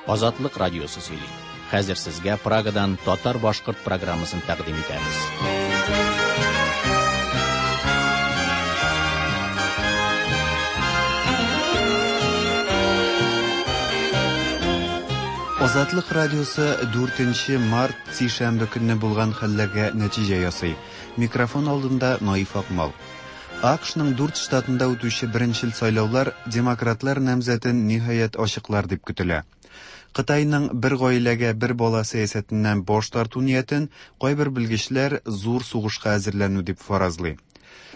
Азатлык радиосы сөйли. Хәзер сезгә Прагадан татар-башкорт программасын тәкъдим итәбез. Азатлык радиосы 4 март сишәмбе көнне булган хәлләргә нәтиҗә ясый. Микрофон алдында Наиф Акмал. АКШның дүрт штатында үтүче беренчел сайлаулар демократлар намзәтен ниһаять ачыклар дип көтелә. Кытайның бер гаиләгә бер бала сәясәтеннән баш тарту ниятен кайбер белгечләр зур сугышка әзерләнү дип фаразлый.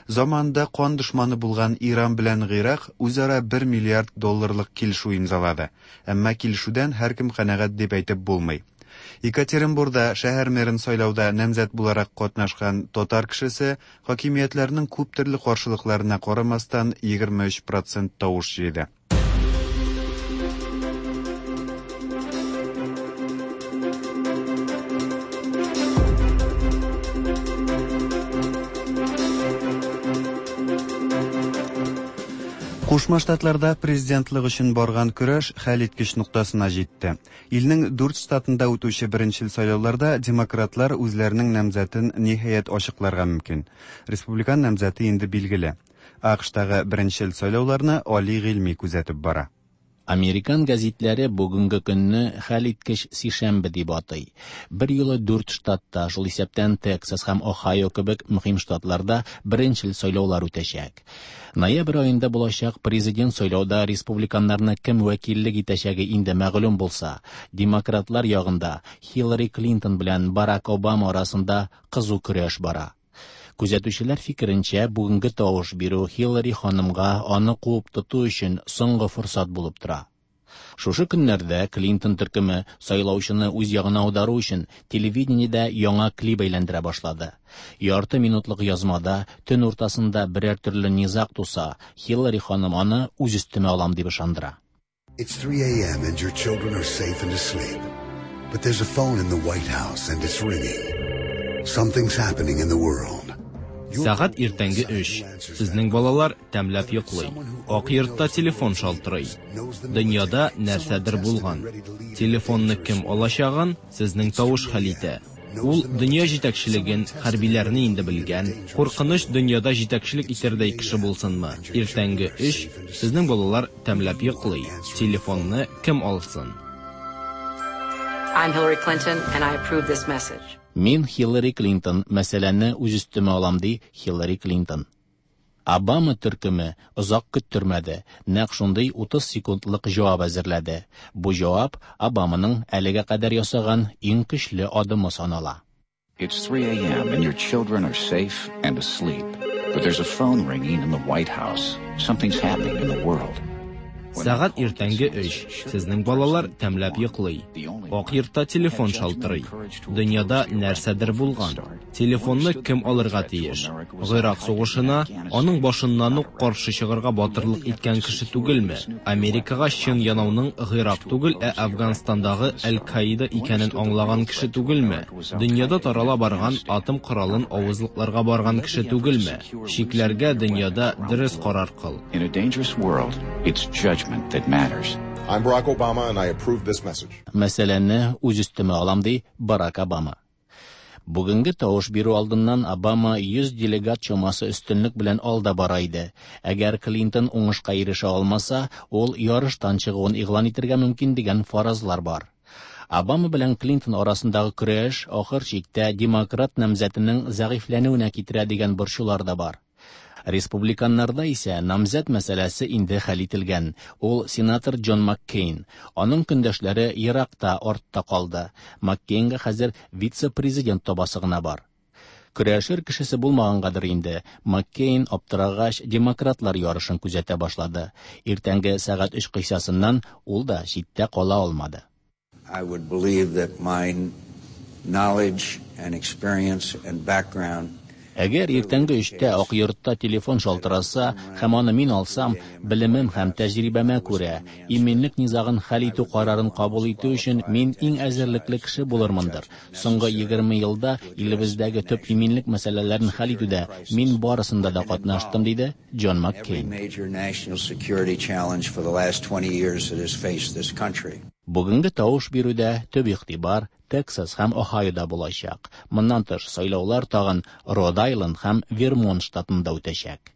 Заманында кан дошманы булган Иран белән Гыйрак үзара 1 миллиард долларлык килешү имзалады. Әмма килешүдән һәркем канәгать дип әйтеп булмый. Екатеринбурда шәһәр мэрын сайлауда намзәт буларак катнашкан татар кешесе хакимиятләрнең күп төрле каршылыкларына карамастан 23% тавыш җыйды. Кушма Штатларда президентлык өчен барган көрәш хәлиткеч ноктасына җитте. Илнең дүрт штатында үтүче беренчел сайлауларда демократлар үзләренең намзәтен ниһаять ачыкларга мөмкин. Республикан намзәте инде билгеле. АКШтагы беренчел сайлауларны Али Гыйльми күзәтеп бара. Американ гәзитләре бүгенге көнне хәлиткеч сишәмбе дип атый. Бер юлы дүрт штатта, шул исәптән Тексас һәм Охайо кебек мөһим штатларда беренчел сайлаулар үтәчәк. Ноябрь аенда булачак президент сайлауда республиканнарны кем вәкиллек итәчәге инде мәгълүм булса, демократлар ягында Хиллари Клинтон белән Барак Обама арасында кызу көрәш бара. Күзәтүчеләр фикеренчә, бүгенге тавыш бирү Хиллари ханымга аны куып тоту өчен соңгы форсат булып тора. Шушы көннәрдә Клинтон төркеме сайлаучыны үз ягына аудару өчен телевидениедә яңа клип әйләндерә башлады. Ярты минутлык язмада төн уртасында берәр төрле низаг туса, Хиллари ханым аны үз өстемә алам дип ышандыра. It's 3 a.m. and your children are safe and asleep. But there's a phone in the White House and it's ringing. Something's happening in the world. Сәгать иртәнге 3. Сезнең балалар тәмләп йоклый. Ак йортта телефон шалтырый. Дөньяда нәрсәдер булган. Телефонны кем алачагын сезнең тавыш хәл итә. Ул дөнья җитәкчелеген, хәрбиләрне инде белгән, куркыныч дөньяда җитәкчелек итәрдәй кеше булсынмы? Иртәнге 3, сезнең балалар тәмләп йоклый. Телефонны кем алсын? I'm Hillary Clinton, and I approve this message. Мин Хиллари Клинтон, мәсьәләне үз өстемә алам, ди Хиллари Клинтон. Обама төркеме озак көттермәде, нәкъ шундый 30 секундлык җавап әзерләде. Бу җавап Обаманың әлегә кадәр ясаган иң көчле адымы санала. It's 3 a.m. and your children are safe and asleep. But there's a phone ringing in the White House. Something's happening in the world. Сәгать иртәнге 3. Сезнең балалар тәмләп йоклый. Ак йортта телефон шалтырый. Дөньяда нәрсәдер булган. Телефонны кем алырга тиеш? Гыйрак сугышына аның башыннан ук каршы чыгарга батырлык иткән кеше түгелме? Америкага чын янауның Гыйрак түгел, ә Әфганстандагы Әл-Каида икәнен аңлаган кеше түгелме? Дөньяда тарала барган атом коралын авызлыкларга барган кеше түгелме? Чикләргә дөньяда дөрес карар кыл. In a dangerous world, it's judgment that matters. I'm Barack Obama and I approve this message. Мәсьәләне үз өстемә алам, ди Барак Обама. Бүгенге тавыш бирү алдыннан Обама 100 делегат чамасы өстенлек белән алда бара иде. Әгәр Клинтон уңышка ирешә алмаса, ул ярыштан чыгуын игълан итәргә мөмкин дигән фаразлар бар. Обама белән Клинтон арасындагы көрәш ахыр чиктә демократ намзәтенең зәгыйфьләнүенә китерә дигән борчулар да бар. Республиканнарда исә намзәт мәсьәләсе инде хәл ителгән. Ул сенатор Джон Маккейн. Аның көндәшләре еракта артта калды. Маккейнга хәзер вице-президент табасы гына бар. Көрәшер кешесе булмагангадыр инде, Маккейн аптырагач демократлар ярышын күзәтә башлады. Иртәнге сәгать 3 кыйсасыннан ул да читтә кала алмады. I would believe that my knowledge and experience and background Әгәр иртәнге 3тә Ак йортта телефон шалтыраса һәм аны мин алсам, белемем һәм тәҗрибәмә күрә, иминлек низагын хәл итү карарын кабул итү өчен мин иң әзерлекле кеше булырмындыр. Соңгы 20 елда илебездәге төп иминлек мәсьәләләрен хәл итүдә мин барысында да катнаштым, диде Джон every Маккейн. major national security challenge for the last 20 years that has faced this country. Бүгенге тавыш бирүдә төп игътибар Тексас һәм Ohioда булачак. Моннан тыш, сайлаулар тагын Род-Айленд һәм Вермонт штатында үтәчәк.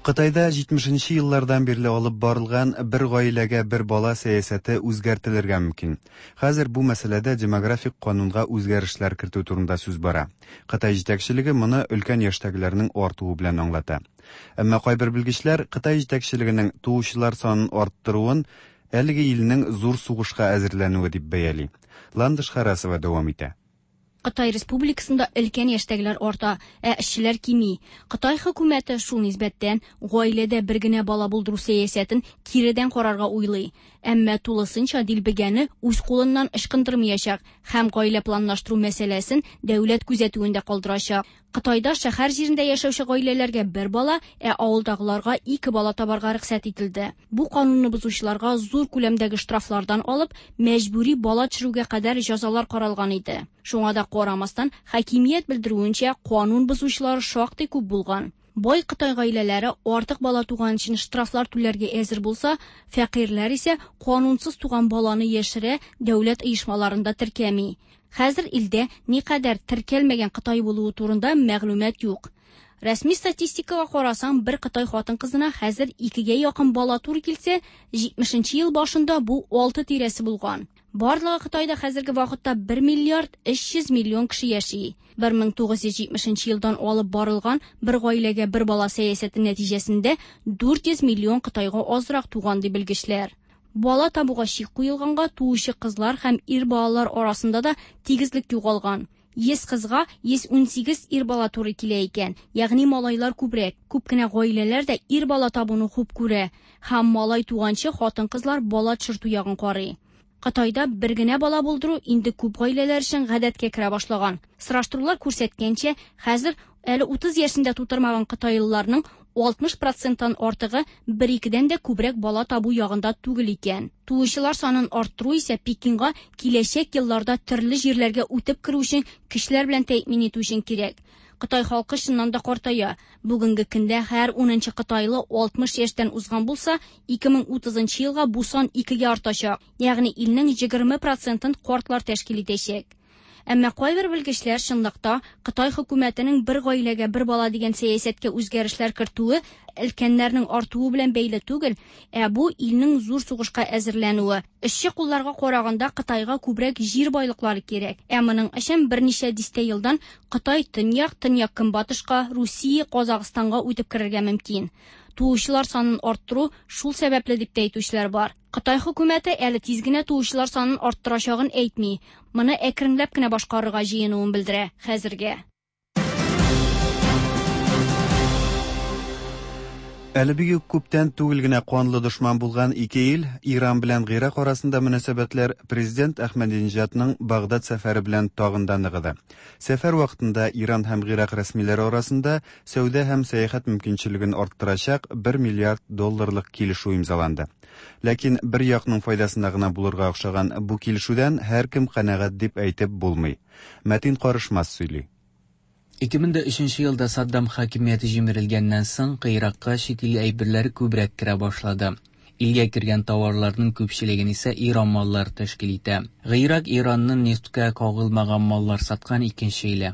Кытайда 70 нче еллардан бирле алып барылган бер гаиләгә бер бала сәясәте үзгәртелергә мөмкин. Хәзер бу мәсьәләдә демографик канунга үзгәрешләр кертү турында сүз бара. Кытай җитәкчелеге моны өлкән яшьтәгеләрнең артуы белән аңлата. Әмма кайбер белгечләр Кытай җитәкчелегенең туучылар санын арттыруын әлеге илнең зур сугышка әзерләнүе дип бәяли. Ландыш Харасова дәвам итә. Кытай Республикасында өлкән яшьтәгеләр арта, ә эшчеләр кими. Кытай хөкүмәте шул нисбәттән гаиләдә бер генә бала булдыру сәясәтен киредән карарга уйлый. Әмма тулысынча дилбегәне үз кулыннан ычкындырмаячак һәм гаилә планлаштыру мәсьәләсен дәүләт күзәтүендә калдырачак. Кытайда шәһәр җирендә яшәүче гаиләләргә бер бала, ә авылдагыларга ике бала табарга рөхсәт ителде. Бу канунны бозучыларга зур күләмдәге штрафлардан алып, мәҗбүри бала төшерүгә кадәр җәзалар каралган иде. Шуңа да карамастан, хакимият белдерүенчә, канун бозучылар шактый күп булган. Бай Кытай гаиләләре артык бала туган өчен штрафлар түләргә әзер булса, фәкыйрьләр исә канунсыз туган баланы яшерә, дәүләт оешмаларында теркәми. Хәзер илдә никадәр теркәлмәгән Кытай булуы турында мәгълүмат юк. Рәсми статистикага карасаң, бер Кытай хатын-кызына хәзер икегә якын бала туры килсә, 70 ел башында бу 6 тирәсе булган. Барлыгы Кытайда хәзерге вакытта 1 миллиард 300 миллион кеше яши. 1970 елдан алып барылган бер гаиләгә бер бала сәясәте нәтиҗәсендә 400 миллион Кытайга азрак туган ди белгечләр. Бала табуга чик куелганга туучы кызлар һәм ир балалар арасында да тигезлек югалган. 100 кызга 118 ир бала туры килә икән, ягъни малайлар күбрәк. Күп кенә гаиләләр дә ир бала табуны хуп күрә һәм малай туганчы хатын-кызлар бала төшертү ягын карый. Кытайда бер генә бала булдыру инде күп гаиләләр өчен гадәткә керә башлаган. Сораштырулар күрсәткәнчә, хәзер әле 30 яшендә тутырмаган кытайлыларның 60%-тан артыгы бер-икедән дә күбрәк бала табу ягында түгел икән. Туучылар санын арттыру исә Пекинга киләчәк елларда төрле җирләргә үтеп керү өчен көчләр белән тәэмин итү өчен кирәк. Кытай халкы чыннан да картая. Бүгенге көндә һәр 10нчы кытайлы 60 яшьтән узган булса, 2030 елга бу сан 2гә артачак. Ягъни илнең 20%-ын картлар тәшкил итәчәк. Әмма кайбер белгечләр чынлыкта Кытай хөкүмәтенең бер гаиләгә бер бала дигән сәясәткә үзгәрешләр кертүе өлкәннәрнең артуы белән бәйле түгел, ә бу илнең зур сугышка әзерләнүе. Эшче кулларга караганда Кытайга күбрәк җир байлыклары кирәк. Ә моның өчен берничә дистә елдан Кытай төньяк, төньяк-көнбатышка, Русия, Казахстанга үтеп керергә мөмкин. Туучылар санын арттыру шул сәбәпле дип тә әйтүчеләр бар. Кытай хөкүмәте әле тиз генә туучылар санын арттырачагын әйтми. Моны әкренләп кенә башкарырга җыенуын белдерә хәзергә. Әле бик күптән түгел генә канлы дошман булган ике ил, Иран белән Гыйрак арасында мөнәсәбәтләр президент Әхмәдинежадның Багдад сәфәре белән тагын да ныгыды. Сәфәр вакытында Иран һәм Гыйрак рәсмиләре арасында сәүдә һәм сәяхәт мөмкинчелеген арттырачак 1 миллиард долларлык килешү имзаланды. Ләкин бер якның файдасына гына булырга охшаган бу килешүдән һәркем канәгать дип әйтеп булмый. Мәтин Карышмас сөйли. 2003 елда Саддам хакимияте җимерелгәннән соң, Гыйракка чит ил әйберләре күбрәк керә башлады. Илгә кергән товарларның күпчелеген исә Иран маллары тәшкил итә. Гыйрак Иранның нефтькә кагылмаган маллар саткан икенче иле.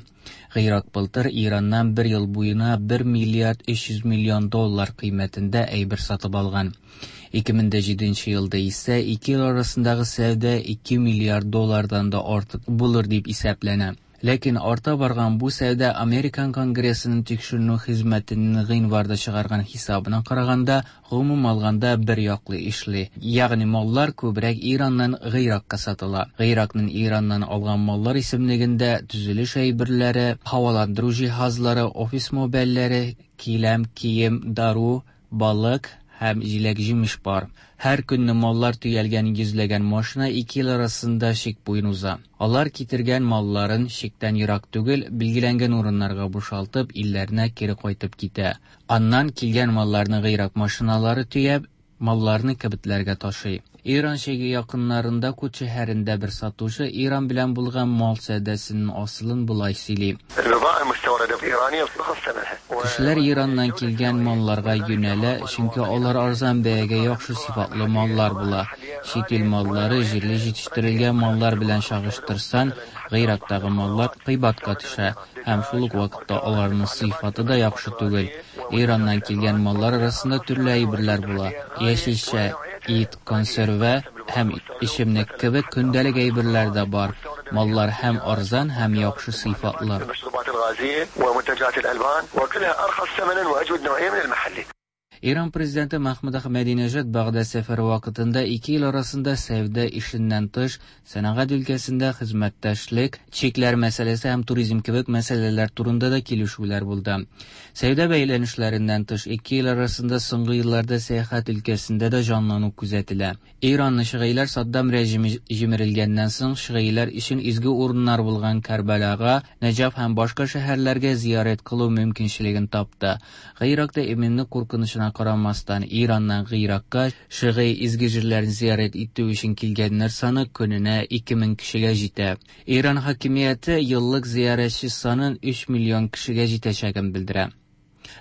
Гыйрак былтыр Ираннан бер ел буена 1 миллиард 300 миллион доллар кыйммәтендә әйбер сатып алган. 2007 елда исә ике ил арасындагы сәүдә 2 миллиард доллардан да артык булыр дип исәпләнә. Ләкин арта барган бу сәүдә Американ Конгрессының тикшеренү хезмәтенең гыйнварда чыгарган хисабына караганда, гомум алганда бер яклы эшли. Ягъни маллар күбрәк Ираннан Гыйракка сатыла. Гыйракның Ираннан алган маллар исемлегендә төзелеш әйберләре, һаваландыру җиһазлары, офис мебельләре, киләм, кием, дару, балык һәм җиләк-җимеш бар. Һәр көнне маллар төялгән йөзләгән машина ике ил арасында чик буен уза. Алар китергән малларын чиктән ерак түгел, билгеләнгән урыннарга бушалтып, илләренә кире кайтып китә. Аннан килгән малларны Гыйрак машиналары төяп, малларны кибетләргә ташый. Иран чиге якыннарында Кут шәһәрендә бер сатучы Иран белән булган мал сәүдәсенең асылын болай сөйли. Кешеләр Ираннан килгән малларга юнәлә, чөнки алар арзан бәягә яхшы сыйфатлы маллар була. Чит ил маллары җирле җитештерелгән маллар белән чагыштырсаң, Гыйрактагы маллар кыйбатка төшә һәм шул ук вакытта аларның сыйфаты да яхшы түгел. Ираннан килгән маллар арасында төрле әйберләр була: яшелчә, ит, консерва һәм эчемлек кебек көндәлек әйберләр дә бар. Маллар һәм арзан, һәм яхшы сыйфатлы. Иран президенты Мәхмүд Әхмәдинәҗад Бәгъдад сәфәре вакытында ике ил арасында сәүдә ишеннән тыш, сәнәгать өлкәсендә хезмәттәшлек, чикләр мәсьәләсе һәм туризм кебек мәсьәләләр турында да килешүләр булды. Сәүдә бәйләнешләреннән тыш, ике ил арасында соңгы елларда сәяхәт өлкәсендә дә җанлану күзәтелә. Иранны шигыйләр Саддам режимы җимерелгәннән соң шигыйләр өчен изге урыннар булган Кәрбәлага, Нәҗаф һәм башка шәһәрләргә зиярәт кылу мөмкинчелеген тапты. Гыйракта иминлек куркынычына карамастан, Ираннан Гыйракка шигый изге җирләрен зиярәт итү өчен килгәннәр саны көненә 2000 кешегә җитә. Иран хакимияте еллык зиярәтче санын 3 миллион кешегә җитәчәген белдерә.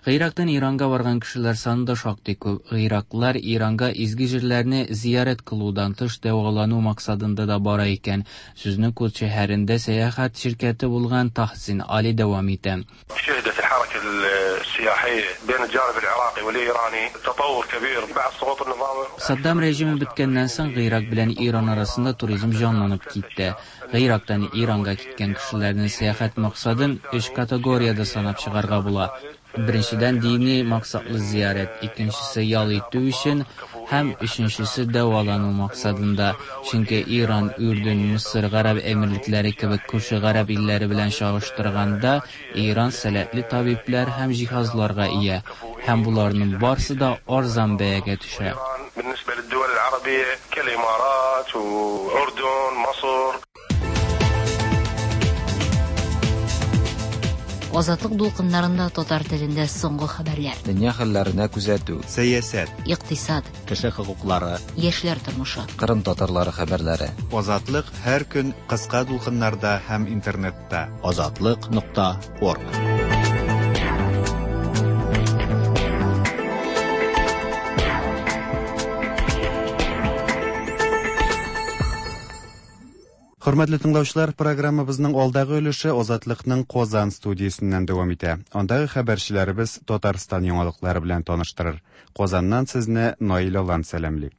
Гыйрактан Иранга барган кешеләр саны да шактый күп. Гыйраклар Иранга изге җирләрне зиярәт кылудан тыш дәвалану максатында да бара икән. Сүзне Кут шәһәрендә сәяхәт ширкәте булган Тахсин Али дәвам итә. Саддам режимы беткәннән соң Гыйрак белән Иран арасында туризм җанланып китте. Гыйрактан Иранга киткән кешеләрнең сәяхәт максатын өч категориядә санап чыгарга була. Беренчедән, дини максатлы зиярәт, икенчесе ял итү өчен һәм өченчесе дәвалану максатында. Чөнки Иран, Үрдүн, Мисыр, Гарәп Әмирлекләре кебек күрше гарәп илләре белән чагыштырганда, Иран сәләтле табибләр һәм җиһазларга ия. Һәм боларның барсы да арзан бәягә төшә. Азатлык дулкыннарында татар телендә соңгы хәбәрләр. Дөнья хәлләренә күзәтү. Сәясәт. Икътисад. Кеше хокуклары. Яшьләр тормышы. Кырым татарлары хәбәрләре. Азатлык һәр көн кыска дулкыннарда һәм интернетта. Азатлык.орг. Хөрмәтле тыңлаучылар, программабызның алдагы өлеше Азатлыкның Казан студиясеннән дәвам итә. Андагы хәбәрчеләребез Татарстан яңалыклары белән таныштырыр. Казаннан сезне Наил Алан сәламли.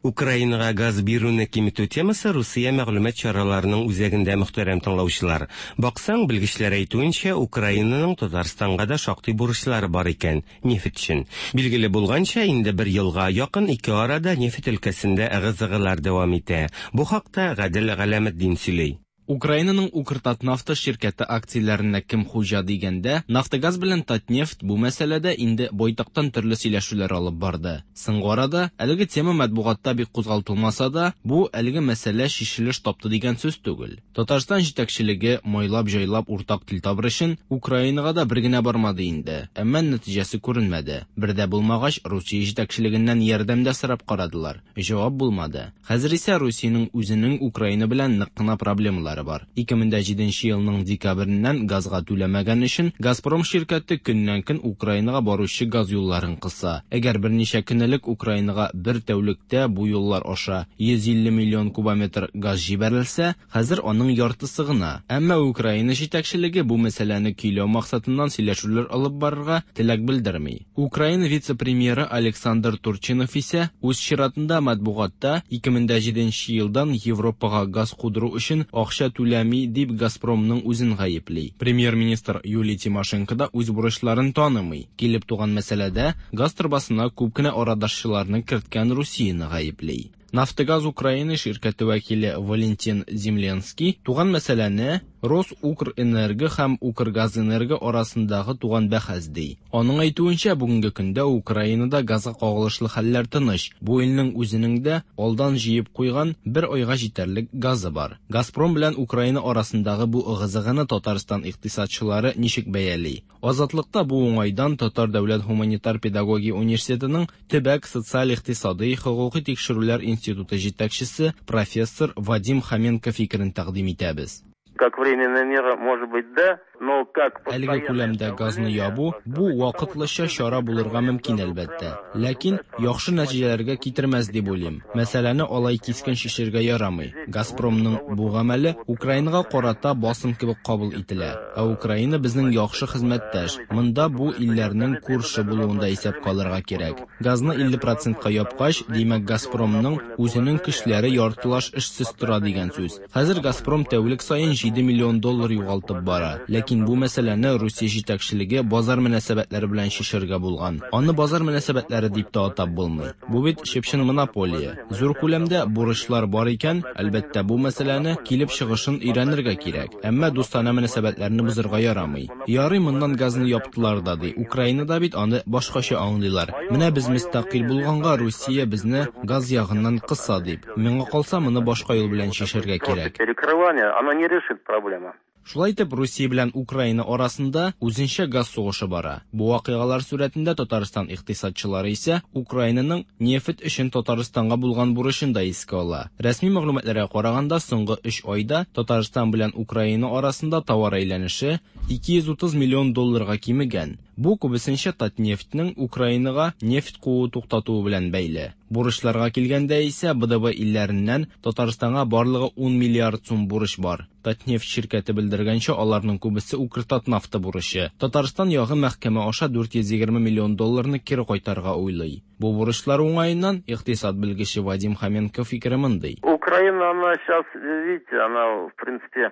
Украинага газ бирүне киметү темасы Русия мәгълүмат чараларының үзәгендә, мөхтәрәм тыңлаучылар. Баксаң, белгечләр әйтүенчә, Украинаның Татарстанга да шактый бурычлары бар икән, нефть өчен. Билгеле булганча, инде бер елга якын ике арада нефть өлкәсендә ыгы-зыгылар дәвам итә. Бу хакта Гадел Галәметдин сөйли. Украинаның Укртатнафта ширкәте акцияләренә кем хуҗа дигәндә, Нафтогаз белән Татнефть бу мәсьәләдә инде байтактан төрле сөйләшүләр алып барды. Соңгы арада әлеге тема матбугатта бик кузгалтылмаса да, бу әлеге мәсьәлә чишелеш тапты дигән сүз түгел. Татарстан җитәкчелеге майлап-җайлап уртак тел табыр өчен Украинага да бер генә бармады инде, әмма нәтиҗәсе күренмәде. Бер дә булмагач, Русия җитәкчелегеннән ярдәм дә сорап карадылар. Җавап булмады. Хәзер исә Русиянең үзенең Украина белән нык кына проблемалары бар. 2007 елның декабреннән газга түләмәгән өчен Газпром ширкәте көннән-көн Украинага баручы газ юлларын кыса. Әгәр берничә көн элек Украинага бер тәүлектә бу юллар аша 150 миллион кубометр газ җибәрелсә, хәзер аның яртысы гына. Әмма Украина җитәкчелеге бу мәсьәләне көйләү максатыннан сөйләшүләр алып барырга теләк белдерми. Украина вице-премьеры Александр Турчинов исә үз чиратында матбугатта 2007 елдан Европага газ кудыру өчен акча түләми дип Газпромның үзен гаепли. Премьер-министр Юлия Тимошенко да үз бурычларын танымый. Килеп туган мәсьәләдә газ торбасына күп кенә арадашчыларны керткән Русияне гаепли. Нафтогаз Украины ширкәте вәкиле Валентин Земленский туган мәсьәләне РосУкрЭнерго һәм Укргазэнерго арасындагы туган бәхәс ди. Аның әйтүенчә, бүгенге көндә Украинада газга кагылышлы хәлләр тыныч. Бу илнең үзенең дә алдан җыеп куйган бер айга җитәрлек газы бар. Газпром белән Украина арасындагы бу ыгы-зыгыны Татарстан икътисадчылары ничек бәяли? Азатлыкта бу уңайдан Татар дәүләт һуманитар педагогия университетының Төбәк социаль-икътисадый хокукый тикшерүләр институты җитәкчесе профессор Вадим Хоменко фикерен тәкъдим итәбез. Как временная мера, может быть, да, но как Әлеге күләмдә газны ябу, бу вакытлыча чара булырга мөмкин, әлбәттә. Ләкин яхшы нәтиҗәләргә китермәс дип уйлыйм. Мәсьәләне алай кискен чишергә ярамый. Газпромның бу гамәле Украинага карата басым кебек кабул ителә. Ә Украина безнең яхшы хезмәттәш. Монда бу илләрнең күрше булуын да исәпкә алырга кирәк. Газны 50 процентка япкач, димәк, Газпромның үзенең көчләре яртылаш эшсез тора дигән сүз. Хәзер Газпром тәүлек саен 7 миллион доллар югалтып бара. Ләкин бу мәсьәләне Русия җитәкчелеге базар мөнәсәбәтләре белән чишәргә булган. Аны базар мөнәсәбәтләре дип тә атап булмый. Бу бит чып-чын монополия. Зур күләмдә бурычлар бар икән, әлбәттә, бу мәсьәләне килеп чыгышын өйрәнергә кирәк. Әмма дустанә мөнәсәбәтләрне бозырга ярамый. Ярый, моннан газны яптылар да ди. Украинада бит аны башкача аңлыйлар. Менә без мөстәкыйль булганга Русия безне газ ягыннан кыса дип. Миңа калса, моны башка юл белән чишәргә кирәк. Перекрывание, оно не решит проблему. Шулай итеп, Русия белән Украина арасында үзенчә газ сугышы бара. Бу вакыйгалар сурәтендә Татарстан икътисадчылары исә Украинаның нефть өчен Татарстанга булган бурычын да искә ала. Рәсми мәгълүматларга караганда, соңгы өч айда Татарстан белән Украина арасында товар әйләнеше 230 миллион долларга кимегән. Бу күбесенчә Татнефтьнең Украинага нефть кууы туктатуы белән бәйле. Бурычларга килгәндә исә, БДБ илләреннән Татарстанга барлыгы 10 миллиард сум бурыч бар. Татнефть ширкәте белдергәнчә, аларның күбесе Укртатнафта бурычы. Татарстан ягы мәхкәмә аша 420 миллион долларны кире кайтарырга уйлый. Бу бурычлар уңаеннан икътисад белгече Вадим Хоменко фикере мондый. Украина, она сейчас, видите, она, в принципе,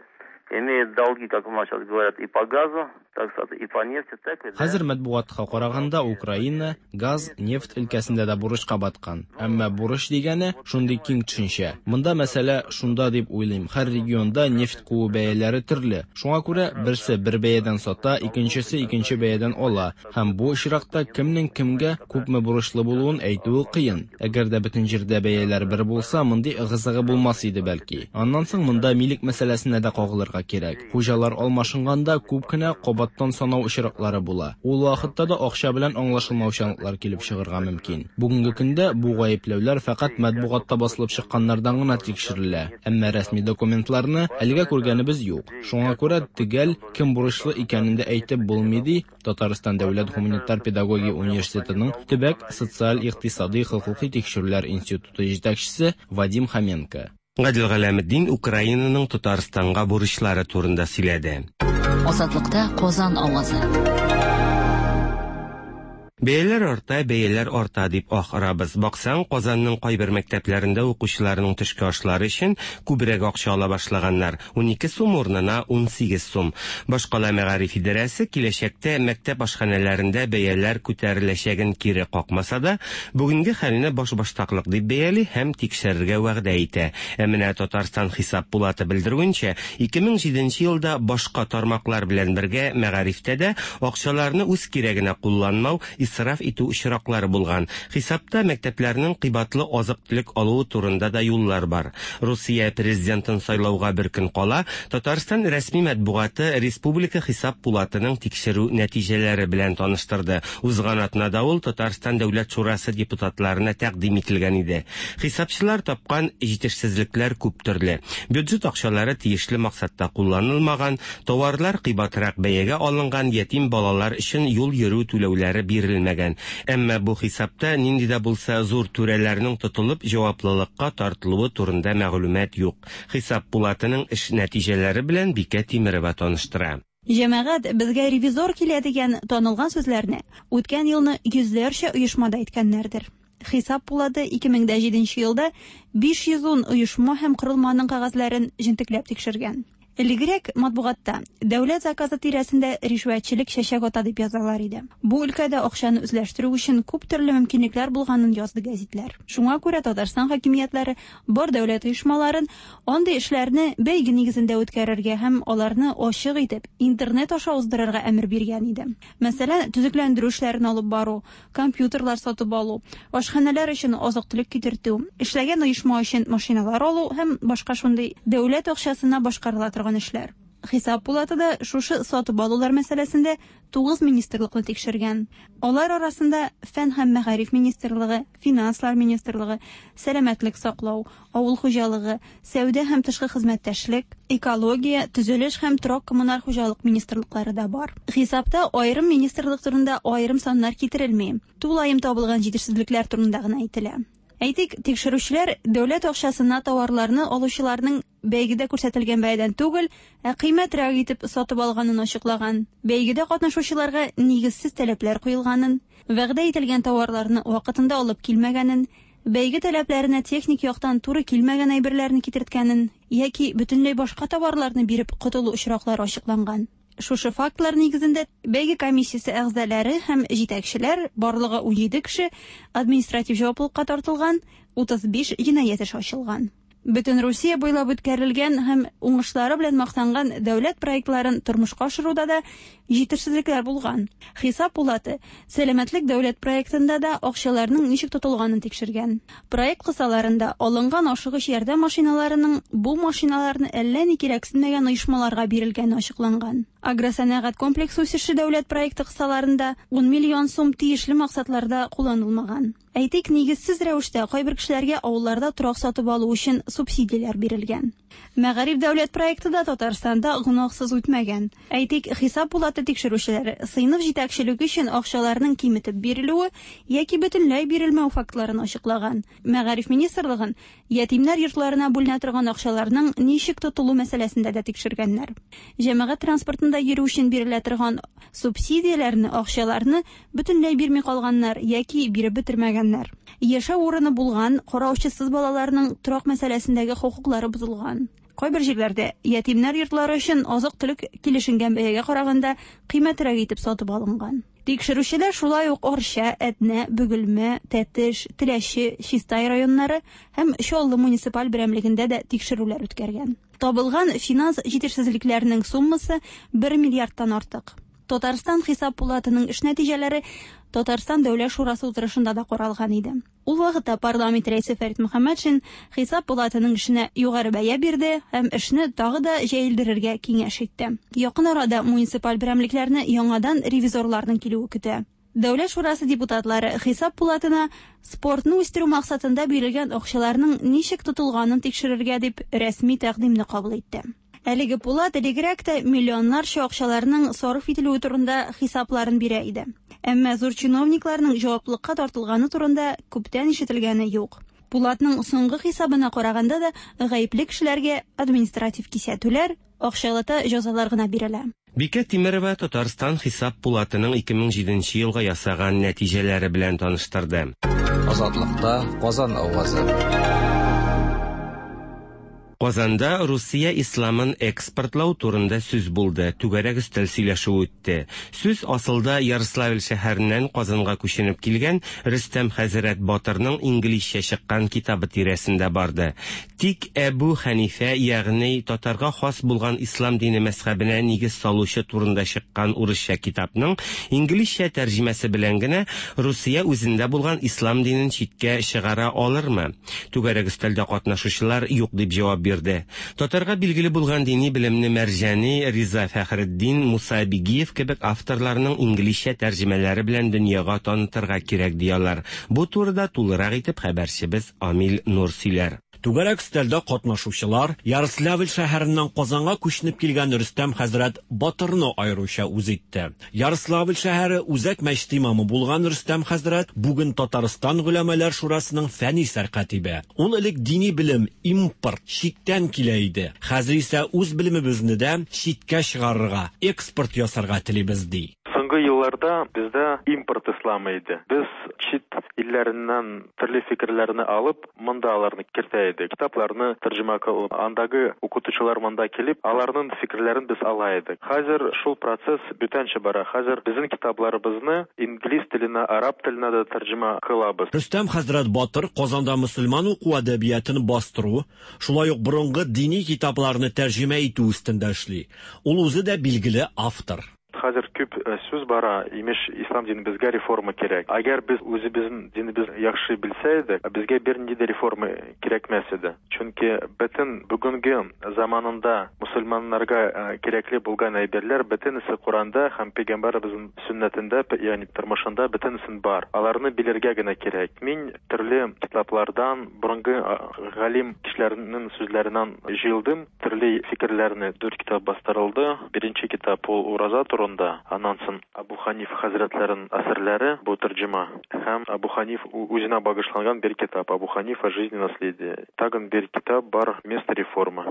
имеет долги, как у нас сейчас говорят, и по газу, так сказать, и по нефти, так ведь, да? Хәзер матбугатка караганда, Украина газ, нефть өлкәсендә дә бурычка баткан. Әмма бурыч дигәне шундый киң төшенчә. Монда мәсьәлә шунда дип уйлыйм, һәр регионда нефть куу бәяләре төрле. Шуңа күрә берсе бер бәядән сата, икенчесе икенче бәядән ала. Һәм бу очракта кемнең кемгә күпме бурычлы булуын әйтүе кыен. Әгәр дә бөтен җирдә бәяләр бер булса, мондый ыгы-зыгы булмас иде бәлки. Аннан соң монда милек мәсьәләсенә дә кагылырга кирәк. Хуҗалар алмашынганда күп кенә кабаттан санау очраклары була. Ул вакытта да акча белән аңлашылмаучанлыклар килеп чыгырга мөмкин. Бүгенге көндә бу гаепләүләр фәкать матбугатта басылып чыкканнардан гына тикшерелә. Әмма рәсми документларны әлегә күргәнебез юк. Шуңа күрә төгәл кем бурычлы икәнен дә әйтеп булмый, ди Татарстан дәүләт һуманитар педагогия университетының Төбәк социаль-икътисадый хокукый тикшерүләр институты җитәкчесе Вадим Хоменко. Гадел Галәметдин Украинаның Татарстанга бурычлары турында сөйләде. Азатлыкта Казан авазы. Бәяләр арта, бәяләр арта дип ах орабыз. Баксаң, Казанның кайбер мәктәпләрендә укучыларның төшке ашлары өчен күбрәк акча ала башлаганнар. 12 сум урынына 18 сум. Башкала мәгариф идарәсе киләчәктә мәктәп ашханәләрендә бәяләр күтәреләчәген кире какмаса да, бүгенге хәлне башбаштаклык дип бәяли һәм тикшерергә вәгъдә итә. Ә менә Татарстан Хисап пулаты белдерүенчә, 2007 елда башка тармаклар белән бергә мәгарифтә дә акчаларны үз кирәгенә кулланмау, исраф итү очраклары булган. Хисапта мәктәпләрнең кыйбатлы азык-төлек алуы турында да юллар бар. Русия президентын сайлауга бер көн кала, Татарстан рәсми матбугаты Республика Хисап пулатының тикшерү нәтиҗәләре белән таныштырды. Узган атнада ул Татарстан Дәүләт шурасы депутатларына тәкъдим ителгән иде. Хисапчылар тапкан җитешсезлекләр күп төрле. Бюджет акчалары тиешле максатта кулланылмаган, товарлар кыйбатрак бәягә алынган, ятим балалар өчен юл йөрү түләүләре бирелмәгән. Әмма бу хисапта нинди дә булса зур түрәләрнең тотылып җаваплылыкка тартылуы турында мәгълүмат юк. Хисап пулатының эш нәтиҗәләре белән Бикә Тимерова таныштыра. Җәмәгать, безгә ревизор килә дигән танылган сүзләрне үткән елны йөзләрчә оешмада әйткәннәрдер. Хисап пулаты 2007 елда 510 оешма һәм корылманың кәгазьләрен җентекләп тикшергән. Элегрәк матбугатта дәүләт заказы тирәсендә ришвәтчелек чәчәк ата дип язалар иде. Бу өлкәдә акчаны үзләштерү өчен күп төрле мөмкинлекләр булганын язды гәзитләр. Шуңа күрә Татарстан хакимиятләре бар дәүләт оешмаларын андый эшләрне бәйге нигезендә үткәрергә һәм аларны ачык итеп интернет аша уздырырга әмер биргән иде. Мәсәлән, төзекләндерү эшләрен алып бару, компьютерлар сатып алу, ашханәләр өчен азык-төлек китертү, эшләгән оешма өчен машиналар алу һәм башка шундый дәүләт акчасына башкарыла торган эшләр. Хисап пулаты да шушы сатып алулар мәсьәләсендә 9 министрлыкны тикшергән. Алар арасында Фән һәм мәгариф министрлыгы, Финанслар министрлыгы, Сәламәтлек саклау, Авыл хуҗалыгы, Сәүдә һәм тышкы хезмәттәшлек, Экология, Төзелеш һәм торак-коммуналь хуҗалык министрлыклары да бар. Хисапта аерым министрлык турында аерым саннар китерелми. Тулаем табылган җитешсезлекләр турында гына әйтелә. Әйтик, тикшерүчеләр дәүләт акчасына товарларны алучыларның бәйгедә күрсәтелгән бәядән түгел, ә кыйммәтрәк итеп сатып алганын ачыклаган. Бәйгедә катнашучыларга нигезсез таләпләр куелганын, вәгъдә ителгән товарларны вакытында алып килмәгәнен, бәйге таләпләренә техник яктан туры килмәгән әйберләрне китерткәнен яки бөтенләй башка товарларны биреп котылу очраклары ачыкланган. Шушы фактлар нигезендә бәйге комиссиясе әгъзалары һәм җитәкчеләр, барлыгы 17 кеше, административ җаваплылыкка тартылган, 35 җинаять эше ачылган. Бөтен Русия буйлап үткәрелгән һәм уңышлары белән мактанган дәүләт проектларын тормышка ашыруда да җитешсезлекләр булган. Хисап пулаты Сәламәтлек дәүләт проектында да акчаларның ничек тотылганын тикшергән. Проект кысаларында алынган ашыгыч ярдәм машиналарының бу машиналарны әллә ни кирәксенмәгән оешмаларга бирелгәне ачыкланган. Агросәнәгать комплексы үсеше дәүләт проекты кысаларында 10 миллион сум тиешле максатларда кулланылмаган. Әйтик, нигезсез рәвештә кайбер кешеләргә авылларда торак сатып алу өчен субсидияләр бирелгән. Мәгариф дәүләт проекты да Татарстанда гөнаһсыз үтмәгән. Әйтик, хисап пулаты тикшерүчеләре сыйныф җитәкчелеге өчен акчаларның киметеп бирелүе яки бөтенләй бирелмәү фактларын ачыклаган. Мәгариф министрлыгын ятимнәр йортларына бүленә торган акчаларның ничек тотылу мәсьәләсендә дә тикшергәннәр. Җәмәгать транспортында йөрү өчен бирелә торган субсидияләрне, акчаларны бөтенләй бирми калганнар яки биреп бетермәгәннәр. Яшәү урыны булган караучысыз балаларның торак мәсьәләсендәге хокуклары бозылган. Кайбер җирләрдә ятимнәр йортлары өчен азык-төлек килешенгән бәягә караганда кыйммәтрәк итеп сатып алынган. Тикшерүчеләр шулай ук Арча, Әтнә, Бөгелмә, Тәтеш, Теләче, Чистай районнары һәм Чаллы муниципаль берәмлегендә дә тикшерүләр үткәргән. Табылган финанс җитешсезлекләренең суммасы 1 миллиардтан артык. Татарстан Хисап пулатының эш нәтиҗәләре Татарстан Дәүләт шурасы утырышында да каралган иде. Ул вакытта парламент рәисе Фәрит Мөхәммәтшин Хисап пулатының эшенә югары бәя бирде һәм эшне тагы да җәелдерергә киңәш итте. Якын арада муниципаль берәмлекләрне яңадан ревизорларның килүе көтә. Дәүләт шурасы депутатлары Хисап пулатына спортны үстерү максатында бирелгән акчаларның ничек тотылганын тикшерергә дип рәсми тәкъдимне кабул итте. Әлеге пулат элегрәк тә миллионнарча акчаларның сарыф ителүе турында хисапларын бирә иде. Әмма зур чиновникларның җаваплылыкка тартылганы турында күптән ишетелгәне юк. Пулатның соңгы хисабына караганда да гаепле кешеләргә административ кисәтүләр, акчалата җәзалар гына бирелә. Бикә Тимерова Татарстан Хисап пулатының 2007 елга ясаган нәтиҗәләре белән таныштырды. Азатлыкта Казан авазы. Казанда Русия исламын экспортлау турында сүз булды, түгәрәк өстәл сөйләшүе үтте. Сүз асылда Ярославль шәһәреннән Казанга күченеп килгән Рөстәм хәзрәт Батырның инглизчә чыккан китабы тирәсендә барды. Тик Әбү Хәнифә, ягъни татарга хас булган ислам дине мәзхәбенә нигез салучы турында чыккан урысча китапның инглизчә тәрҗемәсе белән генә Русия үзендә булган ислам динен читкә чыгара алырмы? Түгәрәк өстәлдә катнашучылар юк дип җавап бирде. Татарга билгеле булган дини белемне Мәрҗани, Риза Фәхретдин, Муса Бигиев кебек авторларның инглизчә тәрҗемәләре белән дөньяга танытырга кирәк ди алар. Бу турыда тулырак итеп хәбәрчебез Амил Нур сөйләр. Түгәрәк өстәлдә катнашучылар Ярославль шәһәреннән Казанга күченеп килгән Рөстәм хәзрәт Батырны аеруча үз итте. Ярославль шәһәре үзәк мәчет имамы булган Рөстәм хәзрәт бүген Татарстан голәмәләр шурасының фәнни сәркатибе. Ул элек дини белем импорт, читтән килә иде. Хәзер исә үз белемебезне дә читкә чыгарырга, экспорт ясарга телибез, ди. Соңгы елларда елларда бездә импорт исламы иде. Без чит илләреннән төрле фикерләрне алып, монда аларны кертә идек. Китапларны тәрҗемә кылып, андагы укытучылар монда килеп, аларның фикерләрен без ала идек. Хәзер шул процесс бүтәнчә бара. Хәзер безнең китапларыбызны инглиз теленә, араб теленә дә тәрҗемә кылабыз. Рөстәм хәзрәт Батыр Казанда мөселман уку әдәбиятын бастыру, шулай ук борынгы дини китапларны тәрҗемә итү өстендә эшли. Ул үзе дә билгеле автор. Хәзер күп сүз бара, имеш, ислам динебезгә реформа кирәк. Әгәр без үзебезнең динебезне яхшы белсә идек, безгә бернинди дә реформа кирәкмәс иде. Чөнки бөтен бүгенге заманында мөселманнарга кирәкле булган әйберләр бөтенесе Коранда һәм пәйгамбәребезнең сөннәтендә, ягъни тормышында бөтенесен бар. Аларны белергә генә кирәк. Мин төрле китаплардан, борынгы галим кешеләрнең сүзләреннән җыелдым. Төрле фикерләрне дүрт китап бастырылды. Беренче китап ул ураза турында, аннан соң Абу Ханиф хәзрәтләренең әсәрләре, бу тәрҗемә, һәм Абу Ханиф үзенә багышланган бер китап, Абу Ханифа Жизнь и наследие. Тагын бер китап бар, Место реформы.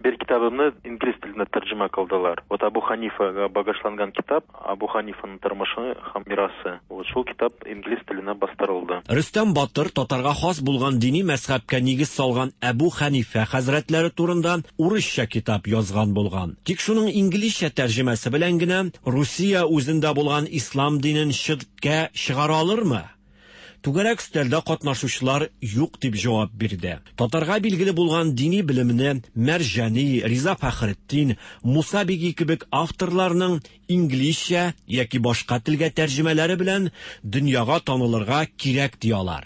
Бер китабымны инглиз теленә тәрҗемә кылдылар. Вот Абу Ханифага багышланган китап, Абу Ханифаның тормышы һәм мирасы. Вот шул китап инглиз теленә бастырылды. Рөстәм Батыр татарга хас булган дини мәзһәбкә нигез салган Әбү Хәнифә хәзрәтләре турында урысча китап язган булган. Тик шуның инглизчә тәрҗемәсе белән генә Русия үзендә булган ислам динен читкә чыгара алырмы? Түгәрәк өстәлдә катнашучылар юк дип җавап бирде. Татарга билгеле булган дини белемне Мәрҗани, Риза Фәхретдин, Муса Биги кебек авторларның инглизчә яки башка телгә тәрҗемәләре белән дөньяга танылырга кирәк ди алар.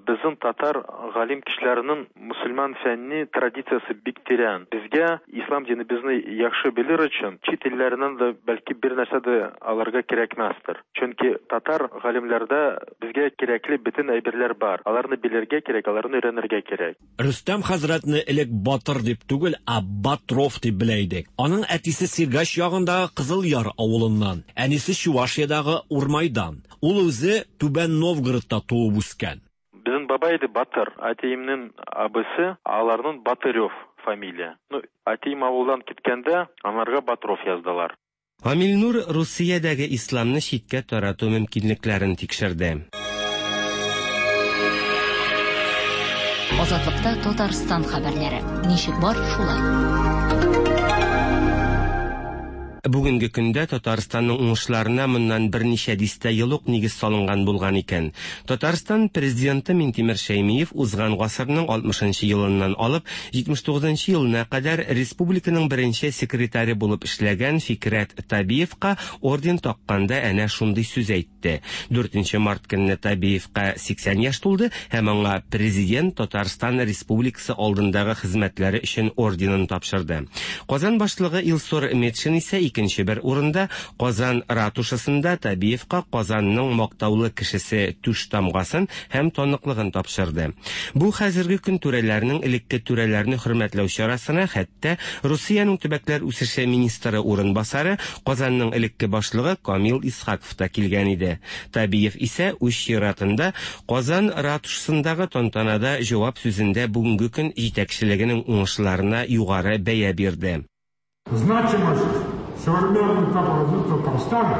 Безнең татар галим кешеләренең мөселман фәнни традициясе бик тирән. Безгә ислам динебезне яхшы белер өчен чит илләреннән дә бәлки бер нәрсә дә алырга кирәкмәстер. Чөнки татар галимләрдә безгә кирәкле бөтен әйберләр бар. Аларны белергә кирәк, аларны өйрәнергә кирәк. Рөстәм хәзрәтне элек Батыр дип түгел, ә Батров дип белә идек. Аның әтисе Сергач ягындагы Кызыл Яр авылыннан, әнисе Чувашиядагы Урмайдан. Ул үзе Түбән Новгородта туып үскән. Безнең бабай иде Батыр, әтиемнең абысы, аларның Батырев фамилия. Ну, әтием авылдан киткәндә, анарга Батров яздылар. Гамил Нур Русиядәге исламны читкә тарату мөмкинлекләрен тикшерде. Азатлыкта Татарстан хәбәрләре. Ничек бар, шулай. Бүгенге көндә Татарстанның уңышларына моннан берничә дистә ел ук нигез салынган булган икән. Татарстан президенты Минтимер Шәймиев узган гасырның 60 нчы елыннан алып 79 нчы елына кадәр республиканың беренче секретаре булып эшләгән Фикрәт Табиевка орден такканда әнә шундый сүз әйтте. 4 март көнне Табиевка 80 яшь тулды һәм аңа президент Татарстан Республикасы алдындагы хезмәтләре өчен орденын тапшырды. Казан башлыгы Илсур Метшин исә икенче бер урында Казан ратушасында Табиевка Казанның мактаулы кешесе түш тамгасын һәм таныклыгын тапшырды. Бу хәзерге көн түрәләренең элекке түрәләрне хөрмәтләү чарасына хәтта Русиянең төбәкләр үсеше министры урынбасары, Казанның элекке башлыгы Камил Исхаков та килгән иде. Табиев исә үз чиратында Казан ратушасындагы тантанада җавап сүзендә бүгенге көн җитәкчелегенең уңышларына югары бәя бирде. Значимость современного этапа развития Татарстана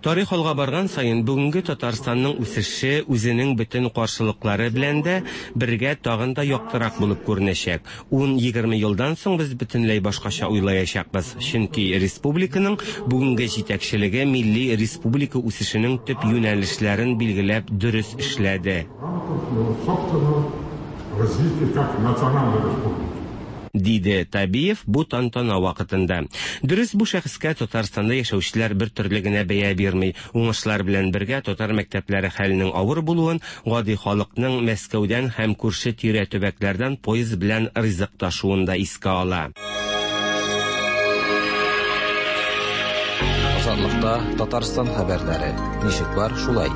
Тарих алга барган саен бүгенге Татарстанның үсеше үзенең бөтен каршылыклары белән дә бергә тагын да яктырак булып күренәчәк. Ун-егерме елдан соң без бөтенләй башкача уйлаячакбыз, чөнки республиканың бүгенге җитәкчелеге милли республика үсешенең төп юнәлешләрен билгеләп дөрес эшләде. Диде Табиев бу тантана вакытында. Дөрес, бу шәхескә Татарстанда яшәүчеләр бер төрле генә бәя бирми. Уңышлар белән бергә татар мәктәпләре хәленең авыр булуын, гади халыкның Мәскәүдән һәм күрше-тирә төбәкләрдән поезд белән ризык ташуын да искә ала. Азатлыкта Татарстан хәбәрләре. Ничек бар, шулай.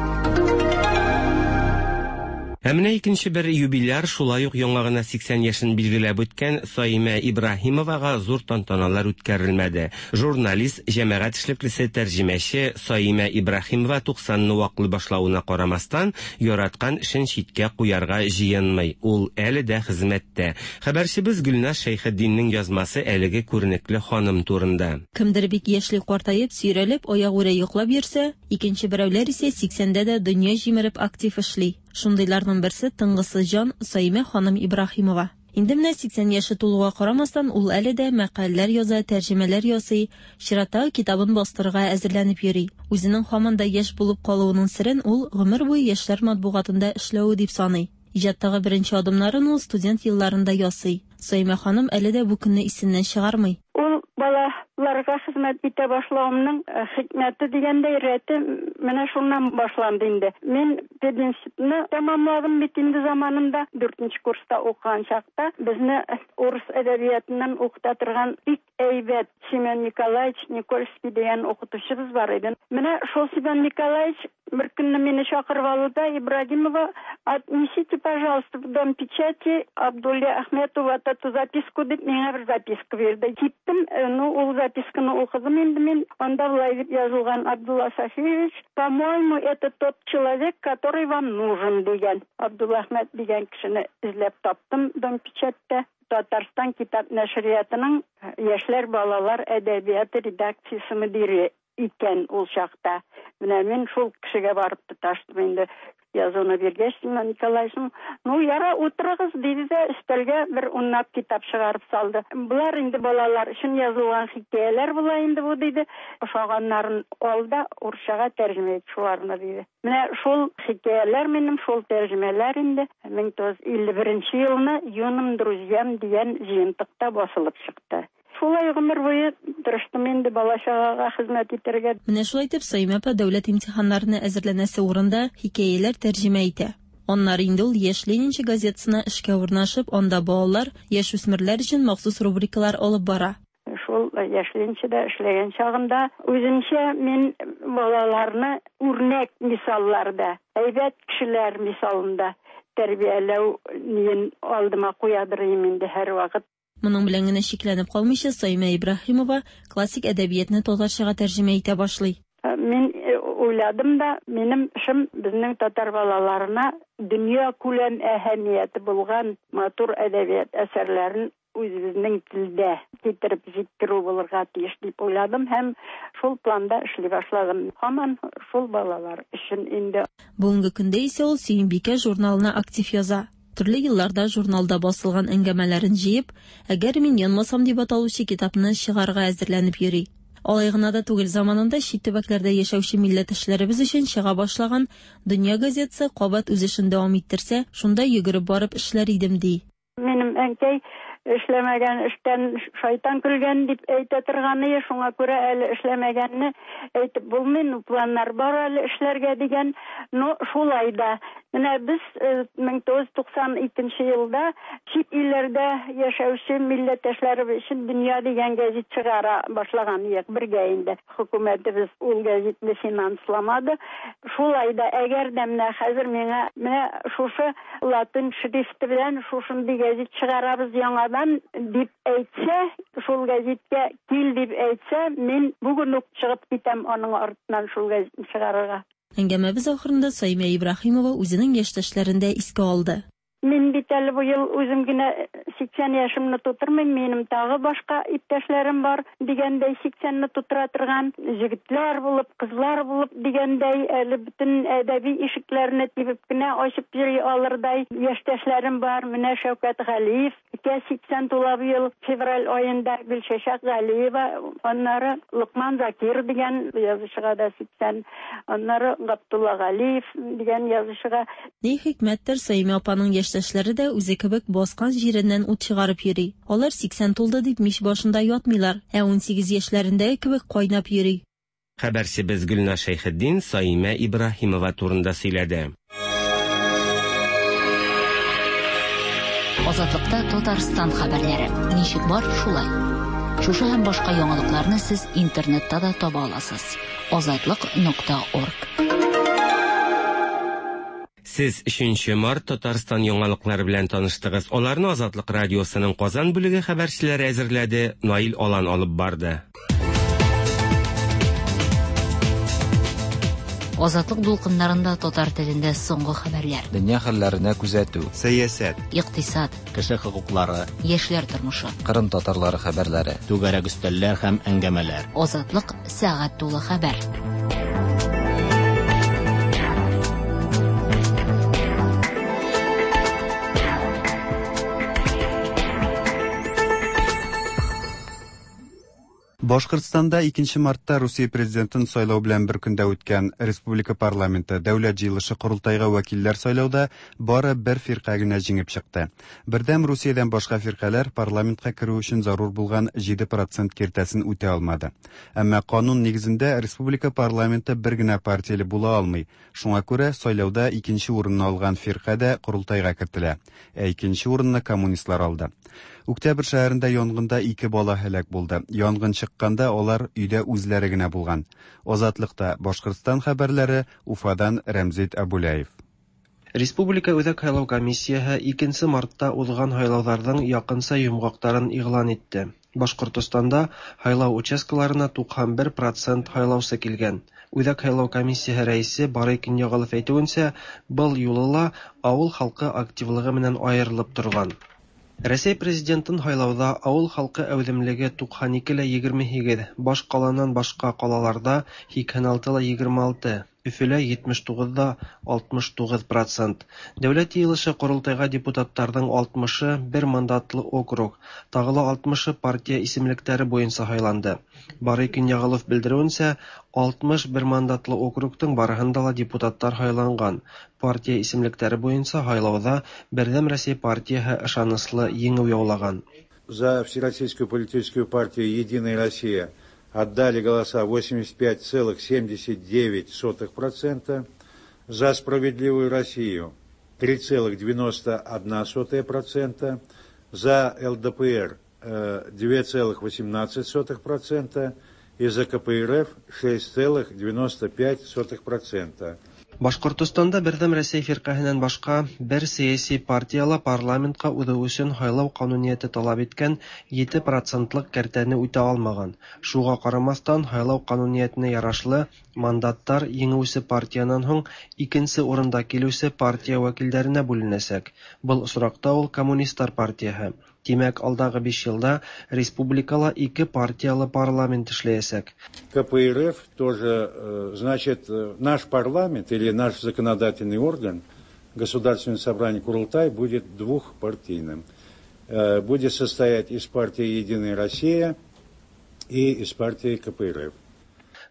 Ә менә икенче бер юбиляр, шулай ук яңа гына 80 яшен билгеләп үткән Саимә Ибраһимовага зур тантаналар үткәрелмәде. Журналист, җәмәгать эшлеклесе, тәрҗемәче Саимә Ибраһимова 90 ны ваклый башлавына карамастан, яраткан эшен читкә куярга җыенмый. Ул әле дә хезмәттә. Хәбәрчебез Гөлназ Шәйхетдиннең язмасы әлеге күренекле ханым турында. Кемдер бик яшьли картаеп, сөйрәлеп, аягүрә йоклап йөрсә, икенче берәүләр исә сиксәндә дә дөнья җимереп актив эшли. Шундыйларның берсе, тынгысыз җан Саимә ханым Ибраһимова. Инде менә 80 яше тулуга карамастан, ул әле дә мәкаләләр яза, тәрҗемәләр ясый, чираттагы китабын бастырырга әзерләнеп йөри. Үзенең һаман да яшь булып калуының серен ул гомер буе яшьләр матбугатында эшләве дип саный. Иҗаттагы беренче адымнарын ул студент елларында ясый. Саимә ханым әле дә бу көнне исеннән чыгармый. Ул балаларга хезмәт итә башлавымның хикмәте дигәндәй, рәте менә шуннан башланды инде. Мин пединститутны тәмамладым бит инде заманында, дүртенче курста укыган чакта безне урыс әдәбиятыннан укыта торган бик әйбәт Семен Николаевич Никольский дигән укытучыбыз бар иде. Менә шул Семен Николаевич бер көнне мине чакырып алды да, Ибрагимова, отнесите, пожалуйста, в Дом печати Абдулле Ахметову вот эту записку дип миңа бер записка бирде. Киттем, ну, ул записканы укыдым инде мин. Анда болай дип язылган: Абдулла Сафиевич, по-моему, это тот человек, который вам нужен, дигән. Абдулла Әхмәт дигән кешене эзләп таптым Дом печатьтә. Татарстан китап нәшриятының яшьләр балалар әдәбияты редакциясе мөдире икән ул чакта. Менә мин шул кешегә барып тоташтым инде. Язуны биргәч, Семен Николаевич, ну, яра, утырыгыз, диде дә, өстәлгә бер унлап китап чыгарып салды. Болар инде балалар өчен язылган хикәяләр була инде бу, диде. Ошаганнарын ал да, урысчага тәрҗемә ит шуларны, диде. Менә шул хикәяләр минем, шул тәрҗемәләр инде 1951 елны Юным друзьям дигән җыентыкта басылып чыкты. Шулай гомер буе тырыштым инде бала-чагага хезмәт итәргә. Менә шулай итеп, Саимә апа дәүләт имтиханнарына әзерләнәсе урында хикәяләр тәрҗемә итә. Аннары инде ул Яшь ленинчы газетасына эшкә урнашып, анда балалар, яшүсмерләр өчен махсус рубрикалар алып бара. Шул Яшь ленинчыда эшләгән чагында үземчә мин балаларны үрнәк мисалларда, әйбәт кешеләр мисалында тәрбияләү ниен алдыма куядыр идем инде һәрвакыт. Моның белән генә чикләнеп калмыйча, Саимә Ибраһимова классик әдәбиятны татарчага тәрҗемә итә башлый. Мин уйладым да, минем эшем безнең татар балаларына дөнья күләм әһәмияте булган матур әдәбият әсәрләрен үзебезнең телдә китереп җиткерү булырга тиеш дип уйладым һәм шул планда эшли башладым. Һаман шул балалар өчен инде. Бүгенге көндә исә ул Сөембикә журналына актив яза. Төрле елларда журналда басылган әңгәмәләрен җыеп, Әгәр мин янмасам дип аталучы китапны чыгарырга әзерләнеп йөри. Алай гына да түгел, заманында чит төбәкләрдә яшәүче милләттәшләребез өчен чыга башлаган Дөнья газетасы кабат үз эшен дәвам иттерсә, шунда йөгереп барып эшләр идем, ди. Минем әнкәй эшләмәгән эштән шайтан көлгән дип әйтә торганые, шуңа күрә әле эшләмәгәнне әйтеп булмый, ну планнар бар әле эшләргә дигән, но шулай да. Менә без 1992 елда чит илләрдә яшәүче милләттәшләребез өчен Дөнья дигән гәзит чыгара башлаган идек бергә инде. Хөкүмәтебез ул гәзитне финансламады. Шулай да, әгәр дә менә хәзер миңа менә шушы латин шрифты белән шушындый гәзит чыгарабыз яңадан дип әйтсә, шул гәзиткә кил дип әйтсә, мин бүген үк чыгып китәм аның артыннан шул гәзитне чыгарырга. Әңгәмәбез ахырында Саимә Ибраһимова үзенең яшьтәшләрен дә искә алды. Мин бит әле бу ел үзем генә 80 яшемне тутырмыйм, минем тагы башка иптәшләрем бар дигәндәй, 80-не тутыра торган җегетләр булып, кызлар булып дигәндәй, әле бөтен әдәби ишекләрне тибеп кенә ачып йөри алырдай яшьтәшләрем бар. Менә Шәүкәт Галиев икә 80 тула быел февраль аенда, Гөлчәчәк Галиева, аннары Локман Закир дигән язучыга да 80, аннары Габдулла Галиев дигән язучыга. Ни хикмәттер, Саимә апаның яшьтәшләре дә үзе кебек баскан җиреннән ут чыгарып йөри. Алар 80 тулды дип мич башында ятмыйлар, ә 18 яшьләрендәге кебек кайнап йөри. Хәбәрчебез Гөлназ Шәйхетдин Саимә Ибраһимова турында сөйләде. Азатлыкта Татарстан хәбәрләре. Ничек бар, шулай. Шушы һәм башка яңалыкларны сез интернетта да таба аласыз. Азатлык.орг. Сез 3 март Татарстан яңалыклары белән таныштыгыз. Аларны Азатлык радиосының Казан бүлеге хәбәрчеләре әзерләде, Наил Алан алып барды. Азатлык дулкыннарында татар телендә соңгы хәбәрләр. Дөнья хәлләренә күзәтү. Сәясәт. Икътисад. Кеше хокуклары. Яшьләр тормышы. Кырым татарлары хәбәрләре. Түгәрәк өстәлләр һәм әңгәмәләр. Азатлык сәгать тулы хәбәр. Башкортстанда 2 мартта Русия президентын сайлау белән бер көндә үткән республика парламенты Дәүләт җыелышы корылтайга вәкилләр сайлауда бары бер фирка генә җиңеп чыкты. Бердәм Русиядән башка фиркаләр парламентка керү өчен зарур булган 7% киртәсен үтә алмады. Әмма канун нигезендә республика парламенты бер генә партияле була алмый. Шуңа күрә сайлауда икенче урынны алган фирка дә корылтайга кертелә. Ә икенче урынны коммунистлар алды. Октябрь шәһәрендә янгында ике бала һәлак булды. Янгын чыкканда алар өйдә үзләре генә булган. Азатлыкта Башкортстан хәбәрләре Уфадан Рәмзит Абуляев. Республика Үзәк һайлау комиссияһе 2 мартта узган һайлауҙарҙың яҡынса йомғаҡтарын иғлан итте. Башҡортостанда һайлау участкаларына 91% һайлаусы килгән. Үҙәк һайлау комиссияһы рәйесе Барый Кинйәғолов әйтеүенсә, был юлы ла ауыл халҡы активлығы менән айырылып торған. Рәсәй президентын һайлауҙа ауыл халҡы әүҙемлеге 92,28, баш ҡаланан башҡа ҡалаларҙа 86,26, Өфөлә 79,69%. Дәүләт йыйылышы ҡоролтайға депутаттарҙың 60-ы бер мандатлы округ, тағы ла 60-ы партия исемлектәре буйынса һайланды. Барый Кинйәғолов белдереүенсә, 60 бер мандатлы округтың барыһында ла депутаттар һайланған. Партия исемлектәре буйынса һайлауҙа Берҙәм Рәсәй партияһы ышаныслы еңеү яулаған. За Всероссийскую политическую партию «Единая Россия» отдали голоса 85,79%, за «Справедливую Россию» 3,91%, за ЛДПР 2,18% и за КПРФ 6,95%. Башҡортостанда Берҙәм Рәсәй фирҡәһенән башҡа бер сәйәси партия ла парламентҡа уҙыу өсөн һайлау ҡануниәте талап иткән 7%-лыҡ кәртәне үтә алмаған. Шуға ҡарамаҫтан, һайлау ҡануниәтенә ярашлы мандаттар еңеүсе партиянан һуң икенсе урында килеүсе партия вәкилдәренә бүленәсәк. Был осраҡта ул Коммунистар партияһы. Тимәк, алдағы 5 йылда республикала ике партиялы парламент эшләйәсәк. КПРФ тоже, значит, наш парламент или наш законодательный орган, Государственное собрание Курултай, будет двухпартийным. Будет состоять из партии «Единая Россия» и из партии КПРФ.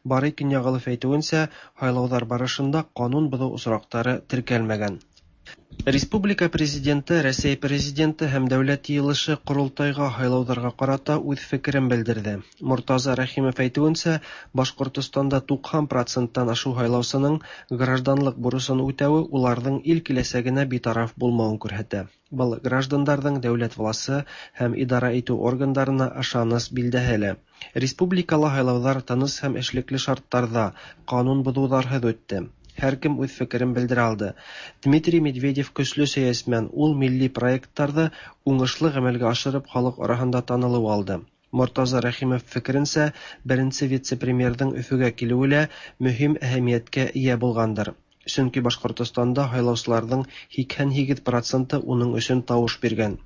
Барый Кинйәғолов әйтеүенсә, һайлауҙар барышында ҡанун боҙоу осраҡтары теркәлмәгән. Республика президенты, Рәсәй президенты һәм Дәүләт йыйылышы ҡоролтайға һайлауҙарға ҡарата үҙ фекерен белдерҙе. Мортаза Рәхимов әйтеүенсә, Башҡортостанда 90%-тан ашыу һайлаусының гражданлыҡ бурысын үтәүе уларҙың ил киләсәгенә битараф булмауын күрһәтә. Был граждандарҙың дәүләт власы һәм идара итеү органдарына ышаныс билдәһе лә. Республикала һайлауҙар тыныс һәм эшлекле шарттарҙа, ҡанун боҙоуҙарһыҙ үтте. Һәр кем үҙ фекерен белдерә алды. Дмитрий Медведев көслө сәйәсмән, ул милли проекттарҙы уңышлы ғәмәлгә ашырып халыҡ араһында танылыу алды. Мортаза Рәхимов фекеренсә, беренсе вице-премьерҙың Өфөгә килеүе лә мөһим әһәмиәткә эйә булғандыр. Сөнки Башҡортостанда һайлаусыларҙың 88% уның өсөн тауыш биргән.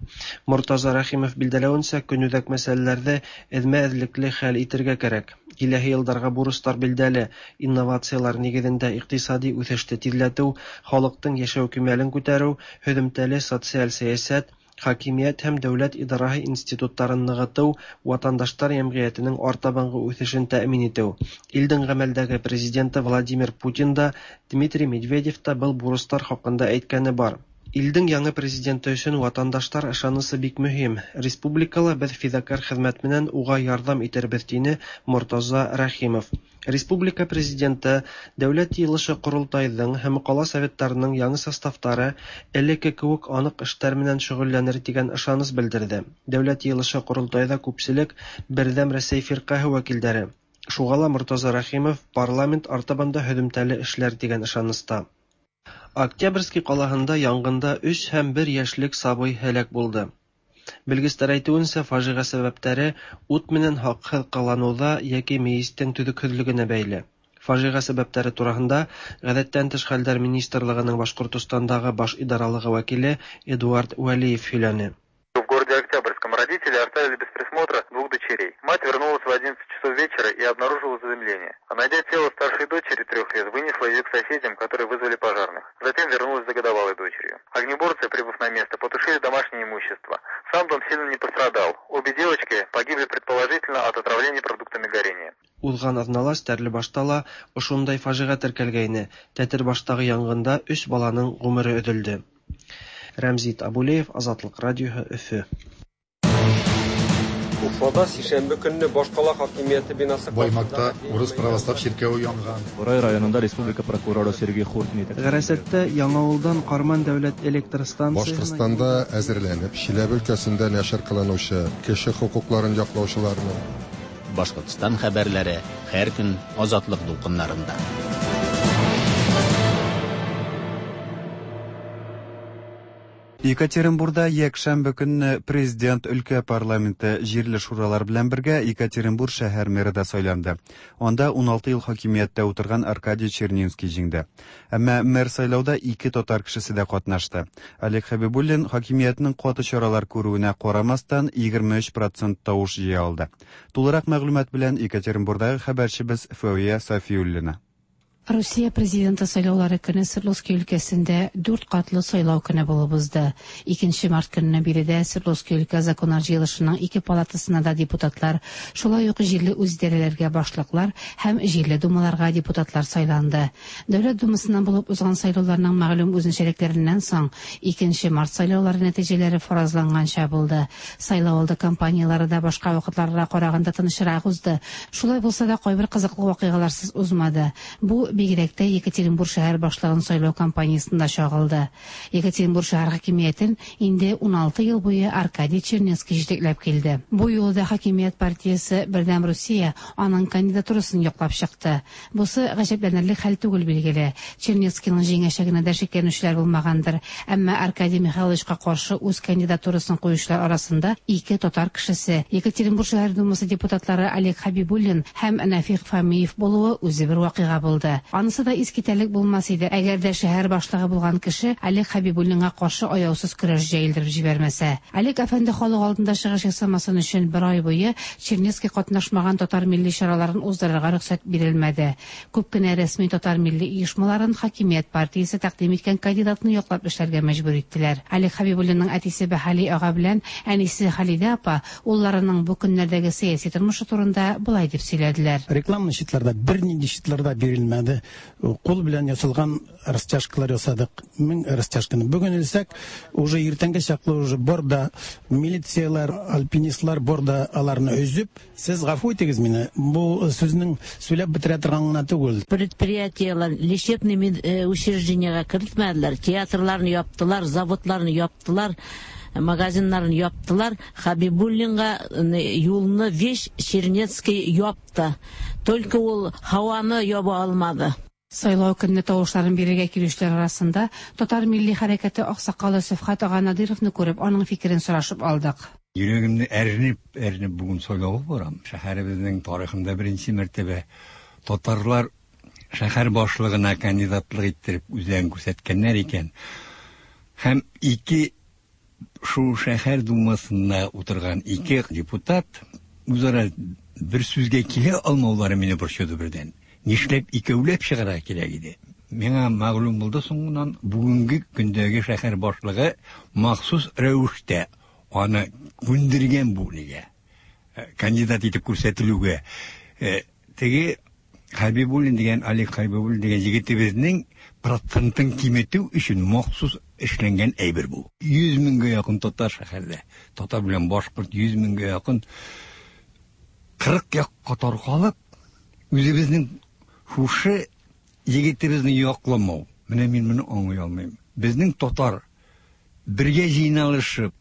Мортаза Рәхимов билдәләүенсә, көнүҙәк мәсьәләләрҙе эҙмә-эҙлекле хәл итергә кәрәк. Киләһе йылдарға бурыстар билдәле, инновациялар нигеҙендә иҡтисади үҫеште тиҙләтеү, халыҡтың йәшәү кимәлен күтәреү, һөҙөмтәле социаль сәйәсәт, хакимиәт һәм дәүләт идараһы институттарын нығытыу, ватандаштар йәмғиәтенең артабанғы үҫешен тәьмин итеү. Илдең ғәмәлдәге президенты Владимир Путин да, Дмитрий Медведев та был бурыстар хаҡында әйткәне бар. Илдең яңы президенты өсөн ватандаштар ышанысы бик мөһим. Республикала беҙ фиҙакәр хеҙмәт менән уға ярҙам итербеҙ, тине Мортаза Рәхимов. Республика президенты Дәүләт йыйылышы ҡоролтайҙың һәм ҡала советтарының яңы составтары элекке кеүек аныҡ эштәр менән шөғөлләнер тигән ышаныс белдерҙе. Дәүләт йыйылышы ҡоролтайҙа күпселек Берҙәм Рәсәй фирҡәһе вәкилдәре. Шуға ла Мортаза Рәхимов парламент артабан да һөҙөмтәле эшләр тигән ышаныста. Октябрьский калаһында янгында өч һәм бер яшьлек сабый һәлак булды. Белгечләр әйтүенчә, фаҗига сәбәптәре ут менән хаксыз кылануда яки миестең төзексезлегенә бәйле. Фаҗига сәбәптәре турасында Гадәттән тыш хәлләр министрлыгының Башкортостандагы баш идаралыгы вәкиле Эдуард Вәлиев сөйләне. В городе Октябрьском родители оставили без присмотра двух дочерей. Мать вернулась в 11 часов вечера и обнаружила задымление. А найдя тело старшей дочери трех лет, вынесла ее к соседям, которые вызвали пожарных. Затем вернулась за годовалой дочерью. Огнеборцы, прибыв на место, потушили домашнее имущество. Сам дом сильно не пострадал. Обе девочки погибли предположительно от отравления продуктами горения. Узган азнала Стәрлебашта ла ошондай фаҗига теркәлгәйне, Тәтербаштагы янгында өч баланың гомере өзелде. Рәмзит Абулеев, Азатлык радиоһы, Өфе. Уфада сишәмбе көнне башкала хакимияте бинасы Баймакта урыс православ чиркәве янган. Борай районында республика прокуроры Сергей Хуртин итәкчелегендәге. Гарәсәттә Яңавылдан Карман дәүләт электр станциясенә Башкортстанда әзерләнеп, Чиләбе өлкәсендә нәшер кылынучы кеше хокукларын яклаучыларның, Башкортстан хәбәрләре һәр көн Азатлык дулкыннарында. Екатеринбурда якшәмбе көнне президент, өлкә парламенты, җирле шуралар белән бергә Екатеринбур шәһәр мэры да сайланды. Анда 16 ел хакимияттә утырган Аркадий Чернинский җиңде. Әмма мэр сайлауда ике татар кешесе дә катнашты. Олег Хәбибуллин хакимиятнең каты чаралар күрүенә карамастан 23 процент тавыш җыя алды. Тулырак мәгълүмат белән Екатеринбурдагы хәбәрчебез Фәвия Сафиуллина. Русия президенты сайлаулары көне Свердловский өлкәсендә дүрт катлы сайлау көне булып узды. 2 март көнне биредә Свердловский өлкә законнар җыелышының ике палатасына да депутатлар, шулай ук җирле үзидарәләргә башлыклар һәм җирле думаларга депутатлар сайланды. Дәүләт думасыннан булып узган сайлауларның мәгълүм үзенчәлекләреннән соң, 2 март сайлаулары нәтиҗәләре фаразланганча булды. Сайлау алды кампанияләре дә башка вакытларга караганда тынычрак узды. Шулай булса да кайбер кызыклы вакыйгаларсыз узмады. Бу бигрәк тә Екатеринбур шәһәр башлыгын сайлау кампаниясендә чагылды. Екатеринбур шәһәр хакимиятен инде 16 ел буе Аркадий Чернецкий җитәкләп килде. Бу юлы да хакимият партиясе Бердәм Русия аның кандидатурасын яклап чыкты. Бусы гаҗәпләнерлек хәл түгел билгеле. Чернецкийның җиңәчәгенә дә шикләнүчеләр булмагандыр. Әмма Аркадий Михайловичка каршы үз кандидатурасын куючылар арасында ике татар кешесе, Екатеринбур шәһәр думасы депутатлары Олег Хәбибуллин һәм Нәфик Фәмиев булуы үзе бер вакыйга булды. Анысы да искитәрлек булмас иде, әгәр дә шәһәр башлыгы булган кеше Олег Хәбибуллинга каршы аяусыз көрәш җәелдереп җибәрмәсә. Олег әфәнде халык алдында чыгыш ясамасын өчен бер ай буе Чернецкий катнашмаган татар милли чараларын уздырырга рөхсәт бирелмәде. Күп кенә рәсми татар милли оешмаларын хакимият партиясе тәкъдим иткән кандидатны яклап эшләргә мәҗбүр иттеләр. Олег Хәбибуллинның әтисе Бәһали ага белән әнисе Халидә апа улларының бу көннәрдәге сәяси тормышы турында болай дип сөйләделәр. Рекламный щитларда бернинди щитлар да бирелмәде. Кул белән ясалган растяжкалар ясадык. 1000 растяжканы. Бүген элсәк, уже иртәнге чаклы уже бар да милицияләр, альпинистлар бар да аларны өзеп, сез гафу итегез мине, бу сүзнең сөйләп бетерә торган гына түгел. Предприятиеләр лечебный учреждениегә кертмәделәр, театрларны яптылар, заводларны яптылар, магазиннарын яптылар. Хабибуллинга юлны весь Чернецкий япты. Только ул һаваны яба алмады. Сайлау көнне тавышларын бирергә килүчеләр арасында татар милли хәрәкәте аксакалы Сәфхат ага Надировны күреп, аның фикерен сорашып алдык. Йөрәгемне әрнеп, әрнеп бүген сайлауга барам. Шәһәребезнең тарихында беренче мәртәбә татарлар шәһәр башлыгына кандидатлык иттереп үзләрен күрсәткәннәр икән. Һәм ике шул шәһәр думасында утырган ике депутат үзара бер сүзгә килә алмаулары мине борчыды бердән. Нишләп икәүләп чыгарга кирәк иде? Миңа мәгълүм булды соңыннан, бүгенге көндәге шәһәр башлыгы махсус рәвештә аны күндергән бу нигә? Кандидат итеп күрсәтелүгә. Теге Хәбибуллин дигән, Олег Хәбибуллин дигән егетебезнең процентын киметү өчен махсус эшләнгән әйбер бу. 100 меңгә якын татар шәһәрдә. Татар белән башкорт 100 меңгә якын 40 якка таркалып, үзебезнең шушы егетебезне якламау. Менә мин моны аңлый алмыйм. Безнең татар бергә җыйналышып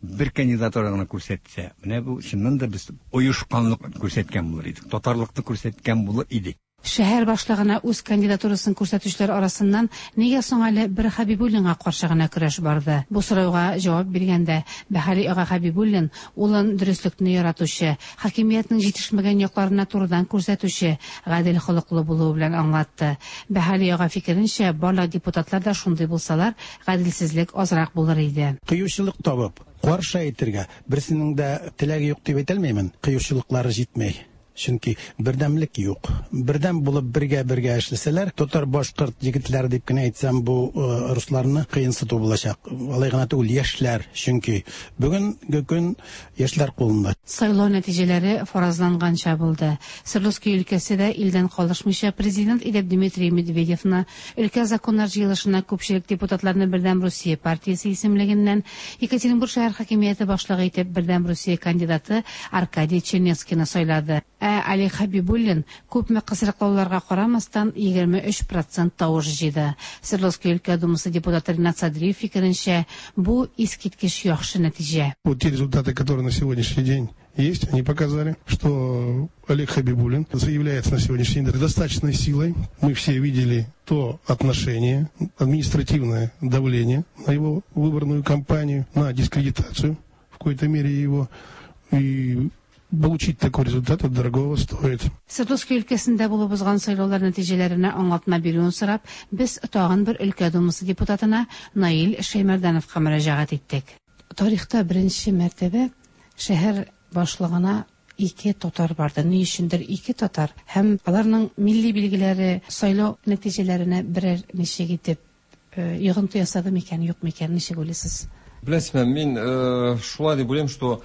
бер кандидатура гына күрсәтсә, менә бу чыннан да без оешканлык күрсәткән булыр идек, татарлыкны күрсәткән булыр идек. Шәһәр башлыгына үз кандидатурасын күрсәтүчеләр арасыннан нигә соң әле бер Хәбибуллинга каршы гына көрәш барды? Бу сорауга җавап биргәндә, Бәһали ага Хәбибуллин улын дөреслекне яратучы, хакимиятнең җитешмәгән якларына турыдан күрсәтүче, гадел холыклы булуы белән аңлатты. Бәһали ага фикеренчә, барлык депутатлар да шундый булсалар, гаделсезлек азрак булыр иде. Кыючылык табып, каршы әйтергә берсенең дә теләге юк дип әйтәлмәймен, кыючылыклары җитмәй. Чөнки бердәмлек юк. Бердәм булып бергә-бергә эшләсәләр, татар, башкорт егетләре дип кенә әйтсәм, бу русларны кыенсыту булачак. Алай гына түгел, яшьләр, чөнки бүгенге көн яшьләр кулында. Сайлау нәтиҗәләре фаразланганча булды. Свердловский өлкәсе дә илдән калышмыйча президент итеп Дмитрий Медведевны, өлкә законнар җыелышына күпчелек депутатларны Бердәм Русия партиясе исемлегеннән, Екатеринбург шәһәр хакимияте башлыгы итеп Бердәм Русия кандидаты Аркадий Чернецкийны сайлады. Ә Олег Хәбибуллин, күпме кысрыклауларга карамастан, 23 процент тавыш җыйды. Свердловский өлкә думасы депутаты Ринат Садриев фикеренчә, бу искиткеч яхшы нәтиҗә. Вот те результаты, которые на сегодняшний день есть, они показали, что Олег Хабибуллин заявляется на сегодняшний день достаточной силой. Мы все видели то отношение, административное давление на его выборную кампанию, на дискредитацию в какой-то мере его. И получить такой результат, это дорогого стоит. Свердловский өлкәсендә булып узган сайлаулар нәтиҗәләренә аңлатма бирүен сорап, без тагын бер өлкә думасы депутатына Наил Шәймәрдәновка мөрәҗәгать иттек. Тарихта беренче мәртәбә шәһәр башлыгына ике татар барды. Ни өчендер ике татар һәм аларның милли билгеләре сайлау нәтиҗәләренә берәр ничек итеп йогынты ясады микән, юк микән, ничек уйлыйсыз? Беләсезме, мин шулай дип уйлыйм, что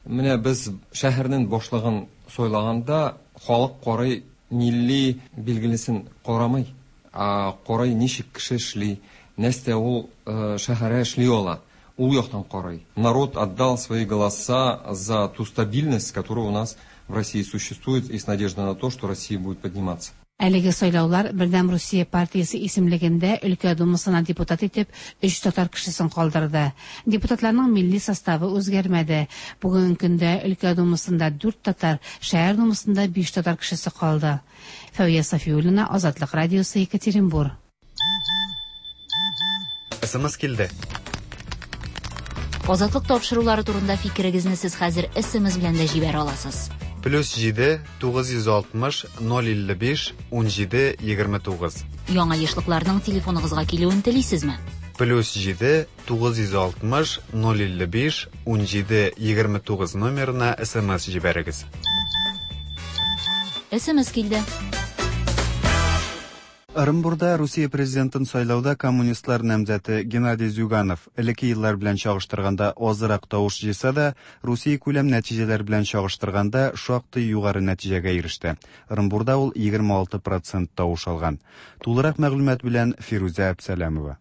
менә без шәһәрнең башлыгын сайлаганда халык карый милли билгелесен карамый, ә карый ничек кеше эшли, нәрсә ул шәһәргә эшли ала. Ул яктан карый. Народ отдал свои голоса за ту стабильность, которая у нас в России существует, и с надеждой на то, что Россия будет подниматься. Әлеге сайлаулар Бердәм Русия партиясе исемлегендә өлкә думасына депутат итеп өч татар кешесен калдырды. Депутатларның милли составы үзгәрмәде. Бүгенге көндә өлкә думасында дүрт татар, шәһәр думасында биш татар кешесе калды. Фәүя Сафиуллина, Азатлык радиосы, Екатеринбур. СМС килде. Азатлык тапшырулары турында фикерегезне сез хәзер SMS белән дә җибәрә аласыз. Плюс 7 960 055 17 29. Яңа ешлыкларның телефоныгызга килүен телисезме? Плюс 7 960 055 17 29 номерына СМС җибәрегез. SMS килде. Ырымбурда Русия президентын сайлауда коммунистлар намзәте Геннадий Зюганов элекке еллар белән чагыштырганда азрак тавыш җыйса да, Русия күләм нәтиҗәләр белән чагыштырганда шактый югары нәтиҗәгә иреште. Ырымбурда ул 26% тавыш алган. Тулырак мәгълүмат белән Фирүзә Әбсәләмова.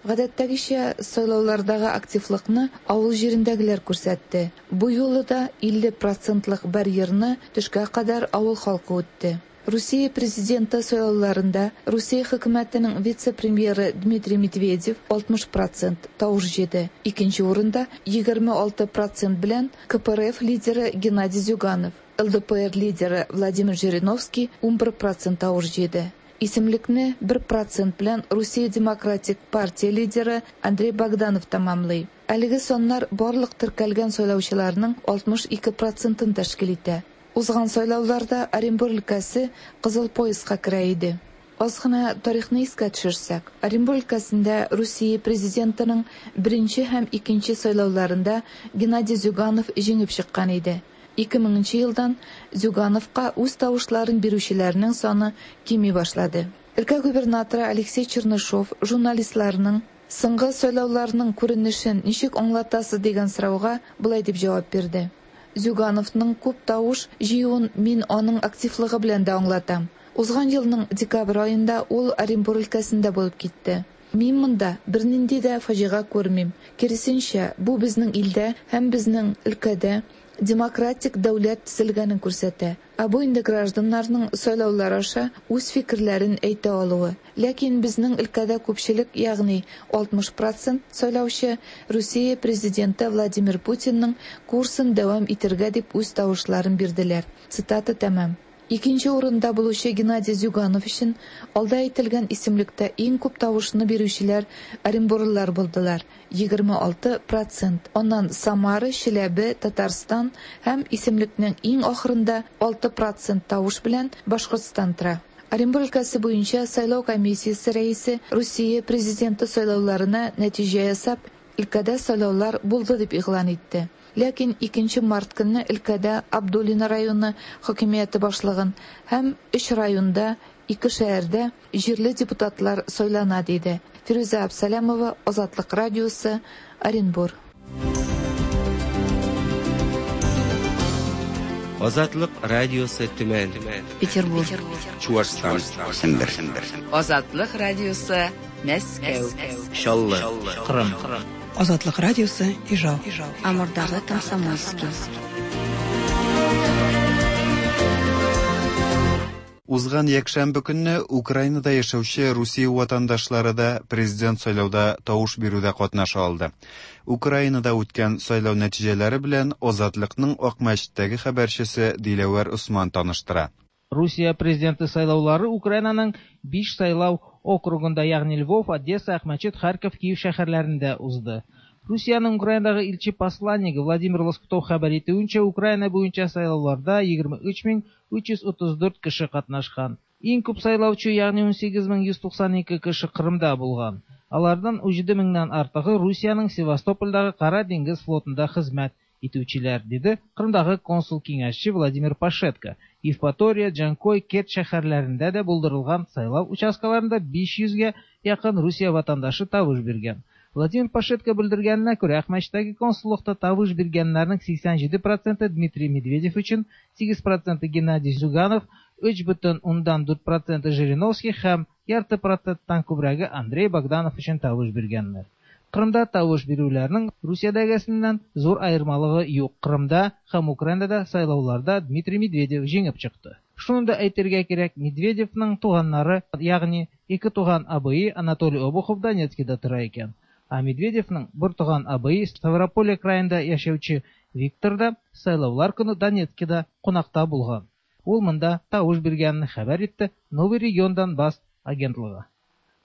Гадәттәгечә, сайлаулардагы активлыкны авыл җирендәгеләр күрсәтте. Бу юлы да 50 процентлык барьерны төшкә кадәр авыл халкы үтте. Русия президенты сайлауларында Русия хөкүмәтенең вице-премьеры Дмитрий Медведев 60% тавыш җыйды. Икенче урында 26 процент белән КПРФ лидеры Геннадий Зюганов, ЛДПР лидеры Владимир Жириновский 11 процент тавыш җыйды. Исемлекне 1 процент белән Русия Демократик партия лидеры Андрей Богданов тәмамлый. Әлеге саннар барлык теркәлгән сайлаучыларның 62 процентын тәшкил итә. Узган сайлауларда Оренбур өлкәсе кызыл пояска керә иде. Аз гына тарихны искә төшерсәк, Оренбур өлкәсендә Русия президентының беренче һәм икенче сайлауларында Геннадий Зюганов җиңеп чыккан иде. 2000 елдан Зюгановка үз тавышларын бирүчеләрнең саны кими башлады. Өлкә губернаторы Алексей Чернышов журналистларның соңгы сайлауларның күренешен ничек аңлатасыз дигән сорауга болай дип җавап бирде. Зюгановның күп тавыш җыюын мин аның активлыгы белән дә аңлатам. Узган елның декабрь аенда ул Оренбур өлкәсендә булып китте. Мин монда бернинди дә фаҗига күрмим. Киресенчә, бу безнең илдә һәм безнең өлкәдә демократик дәүләт төзелгәнен күрсәтә. Ә бу инде гражданнарның сайлаулар аша үз фикерләрен әйтә алуы. Ләкин безнең өлкәдә күпчелек, ягъни 60 процент сайлаучы Русия президенты Владимир Путинның курсын дәвам итәргә дип үз тавышларын бирделәр. Цитата тәмам. Икенче урында булучы Геннадий Зюганов өчен алда әйтелгән исемлектә иң күп тавышны бирүчеләр оренбурлылар булдылар, 26 процент. Аннан Самара, Чиләбе, Татарстан һәм исемлекнең иң ахырында 6 процент тавыш белән Башкортстан тора. Оренбур өлкәсе буенча сайлау комиссиясе рәисе Русия Президенты сайлауларына нәтиҗә ясап, өлкәдә сайлаулар булды дип игълан итте. Ләкин 2 март көнне өлкәдә Абдулино районы хакимияте башлыгын һәм өч районда, ике шәһәрдә җирле депутатлар сайлана, диде. Фирүзә Абсалямова, Азатлык радиосы, Оренбур. Азатлык радиосы Төмән. Петербург. Чуашстан. Сембер. Азатлык радиосы Мәскәү. Чаллы. Кырым. Азатлык радиосы Ижау. Амурдагы Комсомольский. Узган якшәмбе көнне Украинада яшәүче Русия ватандашлары да президент сайлауда тавыш бирүдә катнаша алды. Украинада үткән сайлау нәтиҗәләре белән Азатлыкның Акмәчеттәге хәбәрчесе Диләвәр Усман таныштыра. Русия президенты сайлаулары Украинаның 5 сайлау округында, ягъни Львов, Одесса, Акмәчет, Харьков, Киев шәһәрләрендә узды. Русиянең Украинадагы илче посланнигы Владимир Лоскутов хәбәр итүенчә, Украина буенча сайлауларда 23334 кеше катнашкан. Иң күп сайлаучы, ягъни 18192 кеше Кырымда булган. Алардан 17 меңнән артыгы Русиянең Севастопольдагы Кара диңгез флотында хезмәт итүчеләр, диде Кырымдагы консул киңәшче Владимир Пашетко. Евпатория, Джанкой, Керчь шәһәрләрендә дә булдырылган сайлау участкаларында 500гә якын Русия ватандашы тавыш биргән. Владимир Пашетко белдергәненә күрә, Акмәчеттәге консуллыкта тавыш биргәннәрнең 87 проценты Дмитрий Медведев өчен, 8 проценты Геннадий Зюганов, 3,4 проценты Жириновский һәм ярты проценттан күбрәге Андрей Богданов өчен тавыш биргәннәр. Кырымда тавыш бирүләрнең Русиядәгесеннән зур аермалыгы юк. Кырымда һәм Украинада сайлауларда Дмитрий Медведев җиңеп чыкты. Шуны да әйтергә кирәк, Медведевның туганнары, ягъни ике туган абые Анатолий Обухов Донецкида тора икән. Ә Медведевның бер туган абые Ставрополье краенда яшәүче Виктор да сайлаулар көне Донецкида кунакта булган. Ул монда тавыш биргәнен хәбәр итте Новый регион Донбасс агентлыгы.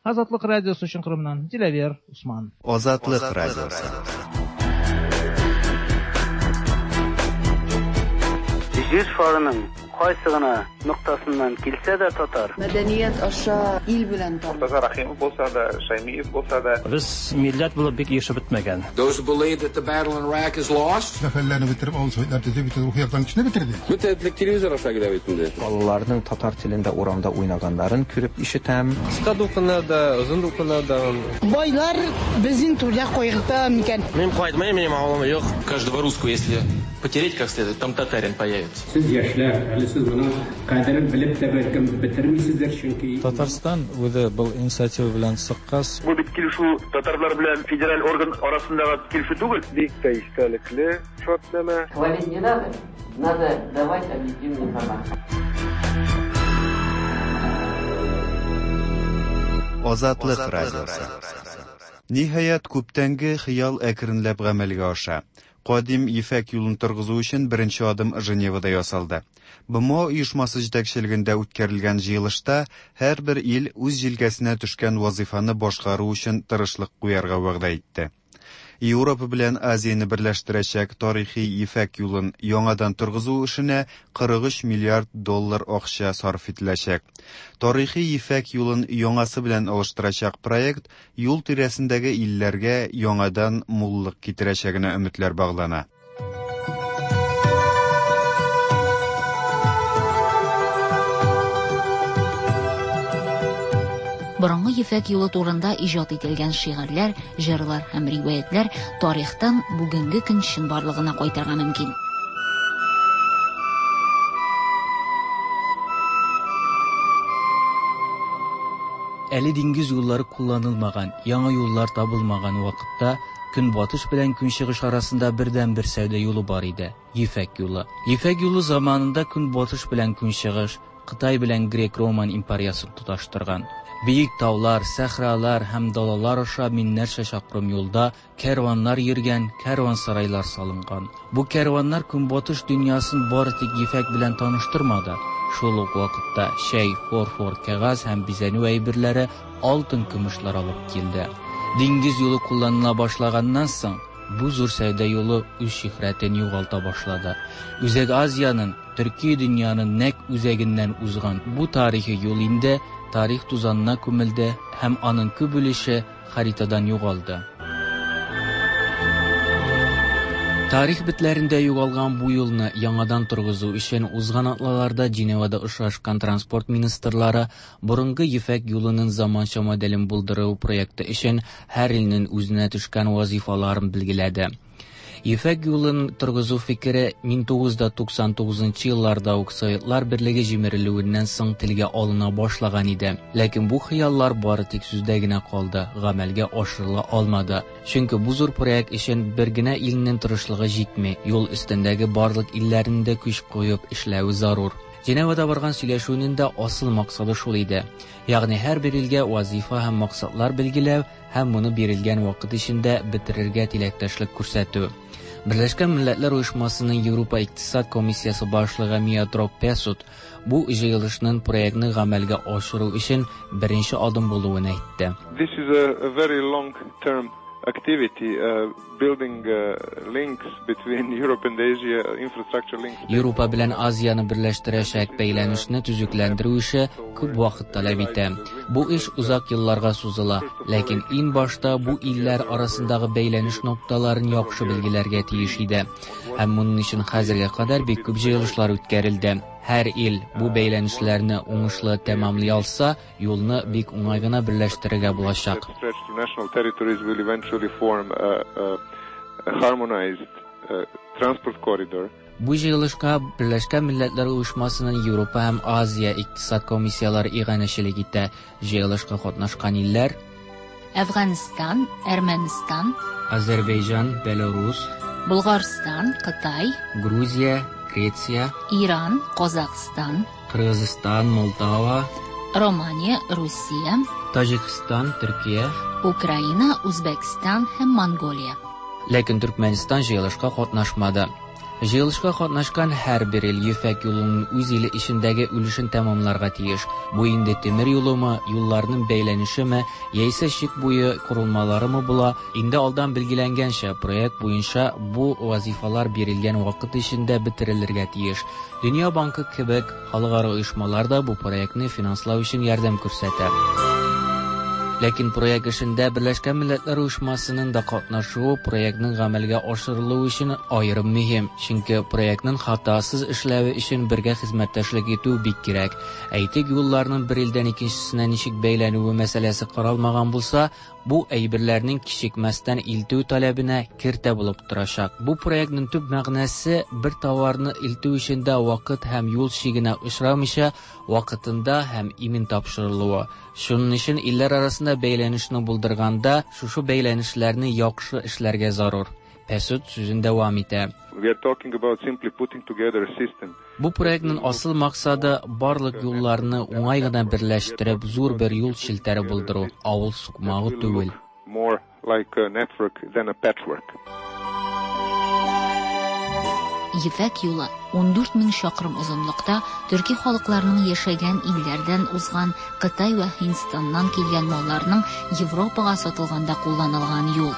Азатлык радиосы өчен Кырымнан Диләвер Усман. Азатлык радиосы. Җир шарының кайсы гына ноктасыннан килсә дә татар. Мәдәният аша ил белән таныш. Мортаза Рахимов булса да, Шаймиев булса да. Без милләт булып бик ирешеп бетмәгән. Those who believe that the battle in Iraq is lost. Сәфәрләрне бетереп, авыл советлар төзеп, бөтен рухи яктан көчне бетерде. Бөтен телевизор аша килә бит инде. Балаларның татар телендә урамда уйнаганнарын күреп ишетәм. Кыска дулкыннар да, озын дулкыннар да. Байлар безнең түрдә кайгырта микән? Мин кайтмыйм, минем авылым юк. Каждого русского, если потереть как следует, там татарин появится. Сез яшьләр, әле сез моның кадерен белеп тә бәлкем бетермисездер, чөнки Татарстан үзе был инициатива белән чыккач, Бу бит килешү татарлар белән федераль орган арасындагы килешү түгел. Бик тә истәлекле шартнамә. Хвалить не надо, надо давать объективную информацию. Азатлык радиосы. Ниһаять, күптәнге хыял әкренләп гамәлгә аша. Кадим ефәк юлын торгызу өчен беренче адым Женевада ясалды. БМО оешмасы җитәкчелегендә үткәрелгән җыелышта һәрбер ил үз җилкәсенә төшкән вазыйфаны башкару өчен тырышлык куярга вәгъдә итте. Европа белән Азияне берләштерәчәк тарихи ефәк юлын яңадан торгызу эшенә 43 миллиард доллар акча сарыф ителәчәк. Тарихи ефәк юлын яңасы белән алыштырачак проект юл тирәсендәге илләргә яңадан муллык китерәчәгенә өметләр баглана. Борынгы ефәк юлы турында иҗат ителгән шигырьләр, җырлар һәм риваятьләр тарихтан бүгенге көн чынбарлыгына кайтырга мөмкин. Әле диңгез юллары кулланылмаган, яңа юллар табылмаган вакытта Көнбатыш белән Көнчыгыш арасында бердәнбер сәүдә юлы бар иде – Ефәк юлы. Ефәк юлы заманында Көнбатыш белән Көнчыгыш, Кытай белән Грек-Роман империясын тоташтырган. Биек таулар, сәхралар һәм далалар аша меңнәрчә чакрым юлда кәрваннар йөргән, кәрван-сарайлар салынган. Бу кәрваннар Көнбатыш дөньясын бары тик ефәк белән таныштырмады, Шул ук вакытта чәй, фарфор, кәгазь һәм бизәнү әйберләре, алтын-көмешләр алып килде. Диңгез юлы кулланыла башлаганнан соң, бу зур сәүдә юлы үз шөһрәтен югалта башлады. Үзәк Азиянең, төрки дөньяның нәкъ үзәгеннән узган бу тарихи юл инде тарих тузанына күмелде һәм аның күп өлеше харитадан югалды. Тарих битләрендә югалган бу юлны яңадан торгызу өчен узган атналарда Женевада очрашкан транспорт министрлары борынгы Ефәк юлының заманча моделен булдыру проекты өчен һәр илнең үзенә төшкән вазифаларын билгеләде. Ефәк юлын торгызу фикере 1999 елларда ук Советлар Берлеге җимерелүеннән соң телгә алына башлаган иде. Ләкин бу хыяллар бары тик сүздә генә калды, гамәлгә ашырыла алмады. Чөнки бу зур проект өчен бер генә илнең тырышлыгы җитми, юл өстендәге барлык илләрнең дә көч куеп эшләве зарур. Женевада барган сөйләшүнең дә асыл максаты шул иде. Ягъни һәрбер илгә вазифа һәм максатлар билгеләү һәм моны бирелгән вакыт эчендә бетерергә теләктәшлек күрсәтү. Берләшкән Милләтләр Оешмасының Европа Икътисад комиссиясе башлыгы Миодраг Песут бу җыелышның проектны гамәлгә ашыру өчен беренче адым булуын әйтте. This is a very long-term activity, building links between Europe and Asia, infrastructure links. Европа белән Азияне берләштерәчәк бәйләнешне төзекләндерү эше күп вакыт таләп итә. Бу эш озак елларга сузыла, ләкин иң башта бу илләр арасындагы бәйләнеш нокталарын яхшы билгеләргә тиеш иде. Һәм моның өчен хәзергә кадәр бик күп җыелышлар үткәрелде. Һәр ил бу бәйләнешләрне уңышлы тәмамлый алса, юлны бик уңай гына берләштерергә булачак. Stretch to national territories will eventually form a harmonized transport corridor. Бу җыелышка Берләшкән Милләтләр Оешмасының Европа һәм Азия икътисад комиссияләре иганәчелек итә. Җыелышка катнашкан илләр: Әфганстан, Әрмәнстан, Азәрбайҗан, Белорус, Болгарстан, Кытай, Грузия, Греция, Иран, Казахстан, Кыргызстан, Молдова, Романия, Русия, Таҗикстан, Төркия, Украина, Үзбәкстан һәм Монголия. Ләкин Төркмәнстан җыелышка катнашмады. Җыелышка катнашкан һәрбер ил Ефәк юлының үз иле эчендәге өлешен тәмамларга тиеш. Бу инде тимер юлымы, юлларның бәйләнешеме, яисә чик буе корылмаларымы була, инде алдан билгеләнгәнчә проект буенча бу вазифалар бирелгән вакыт эчендә бетерелергә тиеш. Дөнья банкы кебек халыкара оешмалар да бу проектны финанслау өчен ярдәм күрсәтә. Ләкин проект эшендә Берләшкән Милләтләр Оешмасының да катнашуы проектның гамәлгә ашырылуы өчен аерым мөһим, чөнки проектның хатасыз эшләве өчен бергә хезмәттәшлек итү бик кирәк. Әйтик, юлларның бер илдән икенчесенә ничек бәйләнүе мәсьәләсе каралмаган булса, бу әйберләрнең кичекмәстән илтү таләбенә киртә булып торачак. Бу проектның төп мәгънәсе бер товарны илтү өчен дә вакыт һәм юл чигенә очрамыйча вакытында һәм имин тапшырылуы. Шуның өчен илләр арасында бәйләнешне булдырганда шушы бәйләнешләрне яхшы эшләргә зарур. Песут сүзен дәвам итә. We are talking about simply putting together a system. Бу проектның асыл максаты барлык юлларны уңай гына берләштереп зур бер юл челтәре булдыру, авыл сукмагы түгел. More like a network than a patchwork. Ефәк юлы 14 мең чакрым озынлыкта төрки халыкларның яшәгән илләрдән узган Кытай вә Һиндстаннан килгән малларның Европага сатылганда кулланылган юл.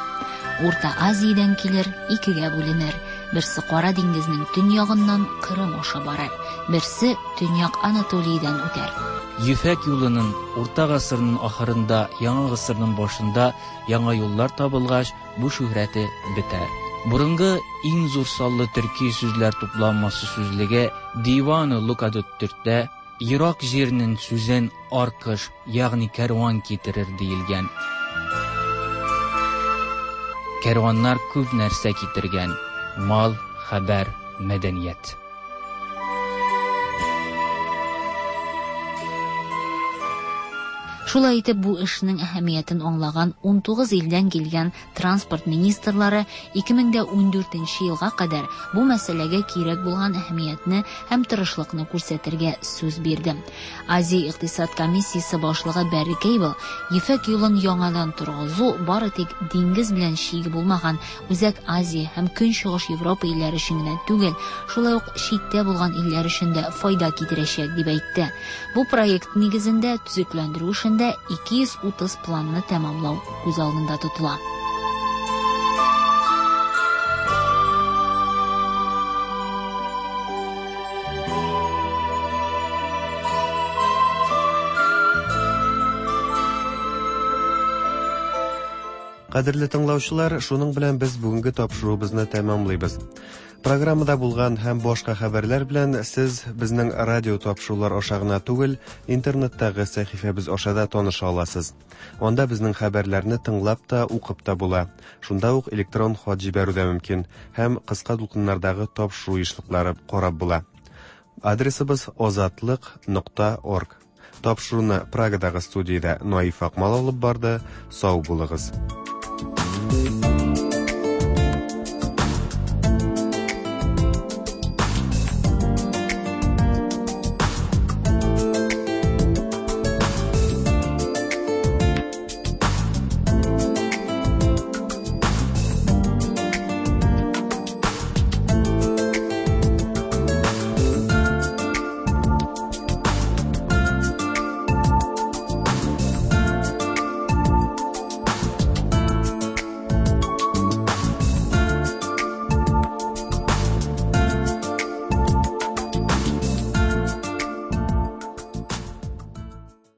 Урта Азиядән килер, икегә бүленер. Берсе Кара диңгезнең төньягыннан Кырым аша барыр, берсе Төньяк Анатолийдән үтәр. Ефәк юлының урта гасырның ахырында, яңа гасырның башында яңа юллар табылгач, бу шөһрәте бетәр. Борынгы иң зур саллы төрки сүзләр тупланмасы сүзлеге Диваны Лукадут Төрктә ерак җирнең сүзен аркыш, ягъни кәрван китерер диелгән. Кәрваннар күп нәрсә китергән: мал, хәбәр, мәдәният. Шулай итеп, бу эшнең әһәмиятен аңлаган 19 илдән килгән транспорт министрлары 2014 елга кадәр бу мәсьәләгә кирәк булган әһәмиятне һәм тырышлыкны күрсәтергә сүз бирде. Азия икътисад комиссиясе башлыгы Бәрри Кейбл Ефәк юлын яңадан торгызу бары тик диңгез белән чиге булмаган Үзәк Азия һәм Көнчыгыш Европа илләре өчен генә түгел, шулай ук читтә булган илләр өчен дә файда китерәчәк, дип әйтте. Бу проект нигезендә төзекләндерү эшендә 230 планны тәмамлау күз алдында тотыла. Кадерле тыңлаучылар, шуның белән без бүгенге тапшыруыбызны тәмамлыйбыз. Программада булган һәм башка хәбәрләр белән сез безнең радио тапшырулар аша гына түгел, интернеттагы сәхифәбез аша да таныша аласыз. Анда безнең хәбәрләрне тыңлап та, укып та була. Шунда ук электрон хат җибәрү дә мөмкин һәм кыска дулкыннардагы тапшыру ешлыклары карап була. Адресыбыз озатлык.орг. Тапшыруны Прагадагы студиядә Наиф Акмал алып барды. Сау булыгыз.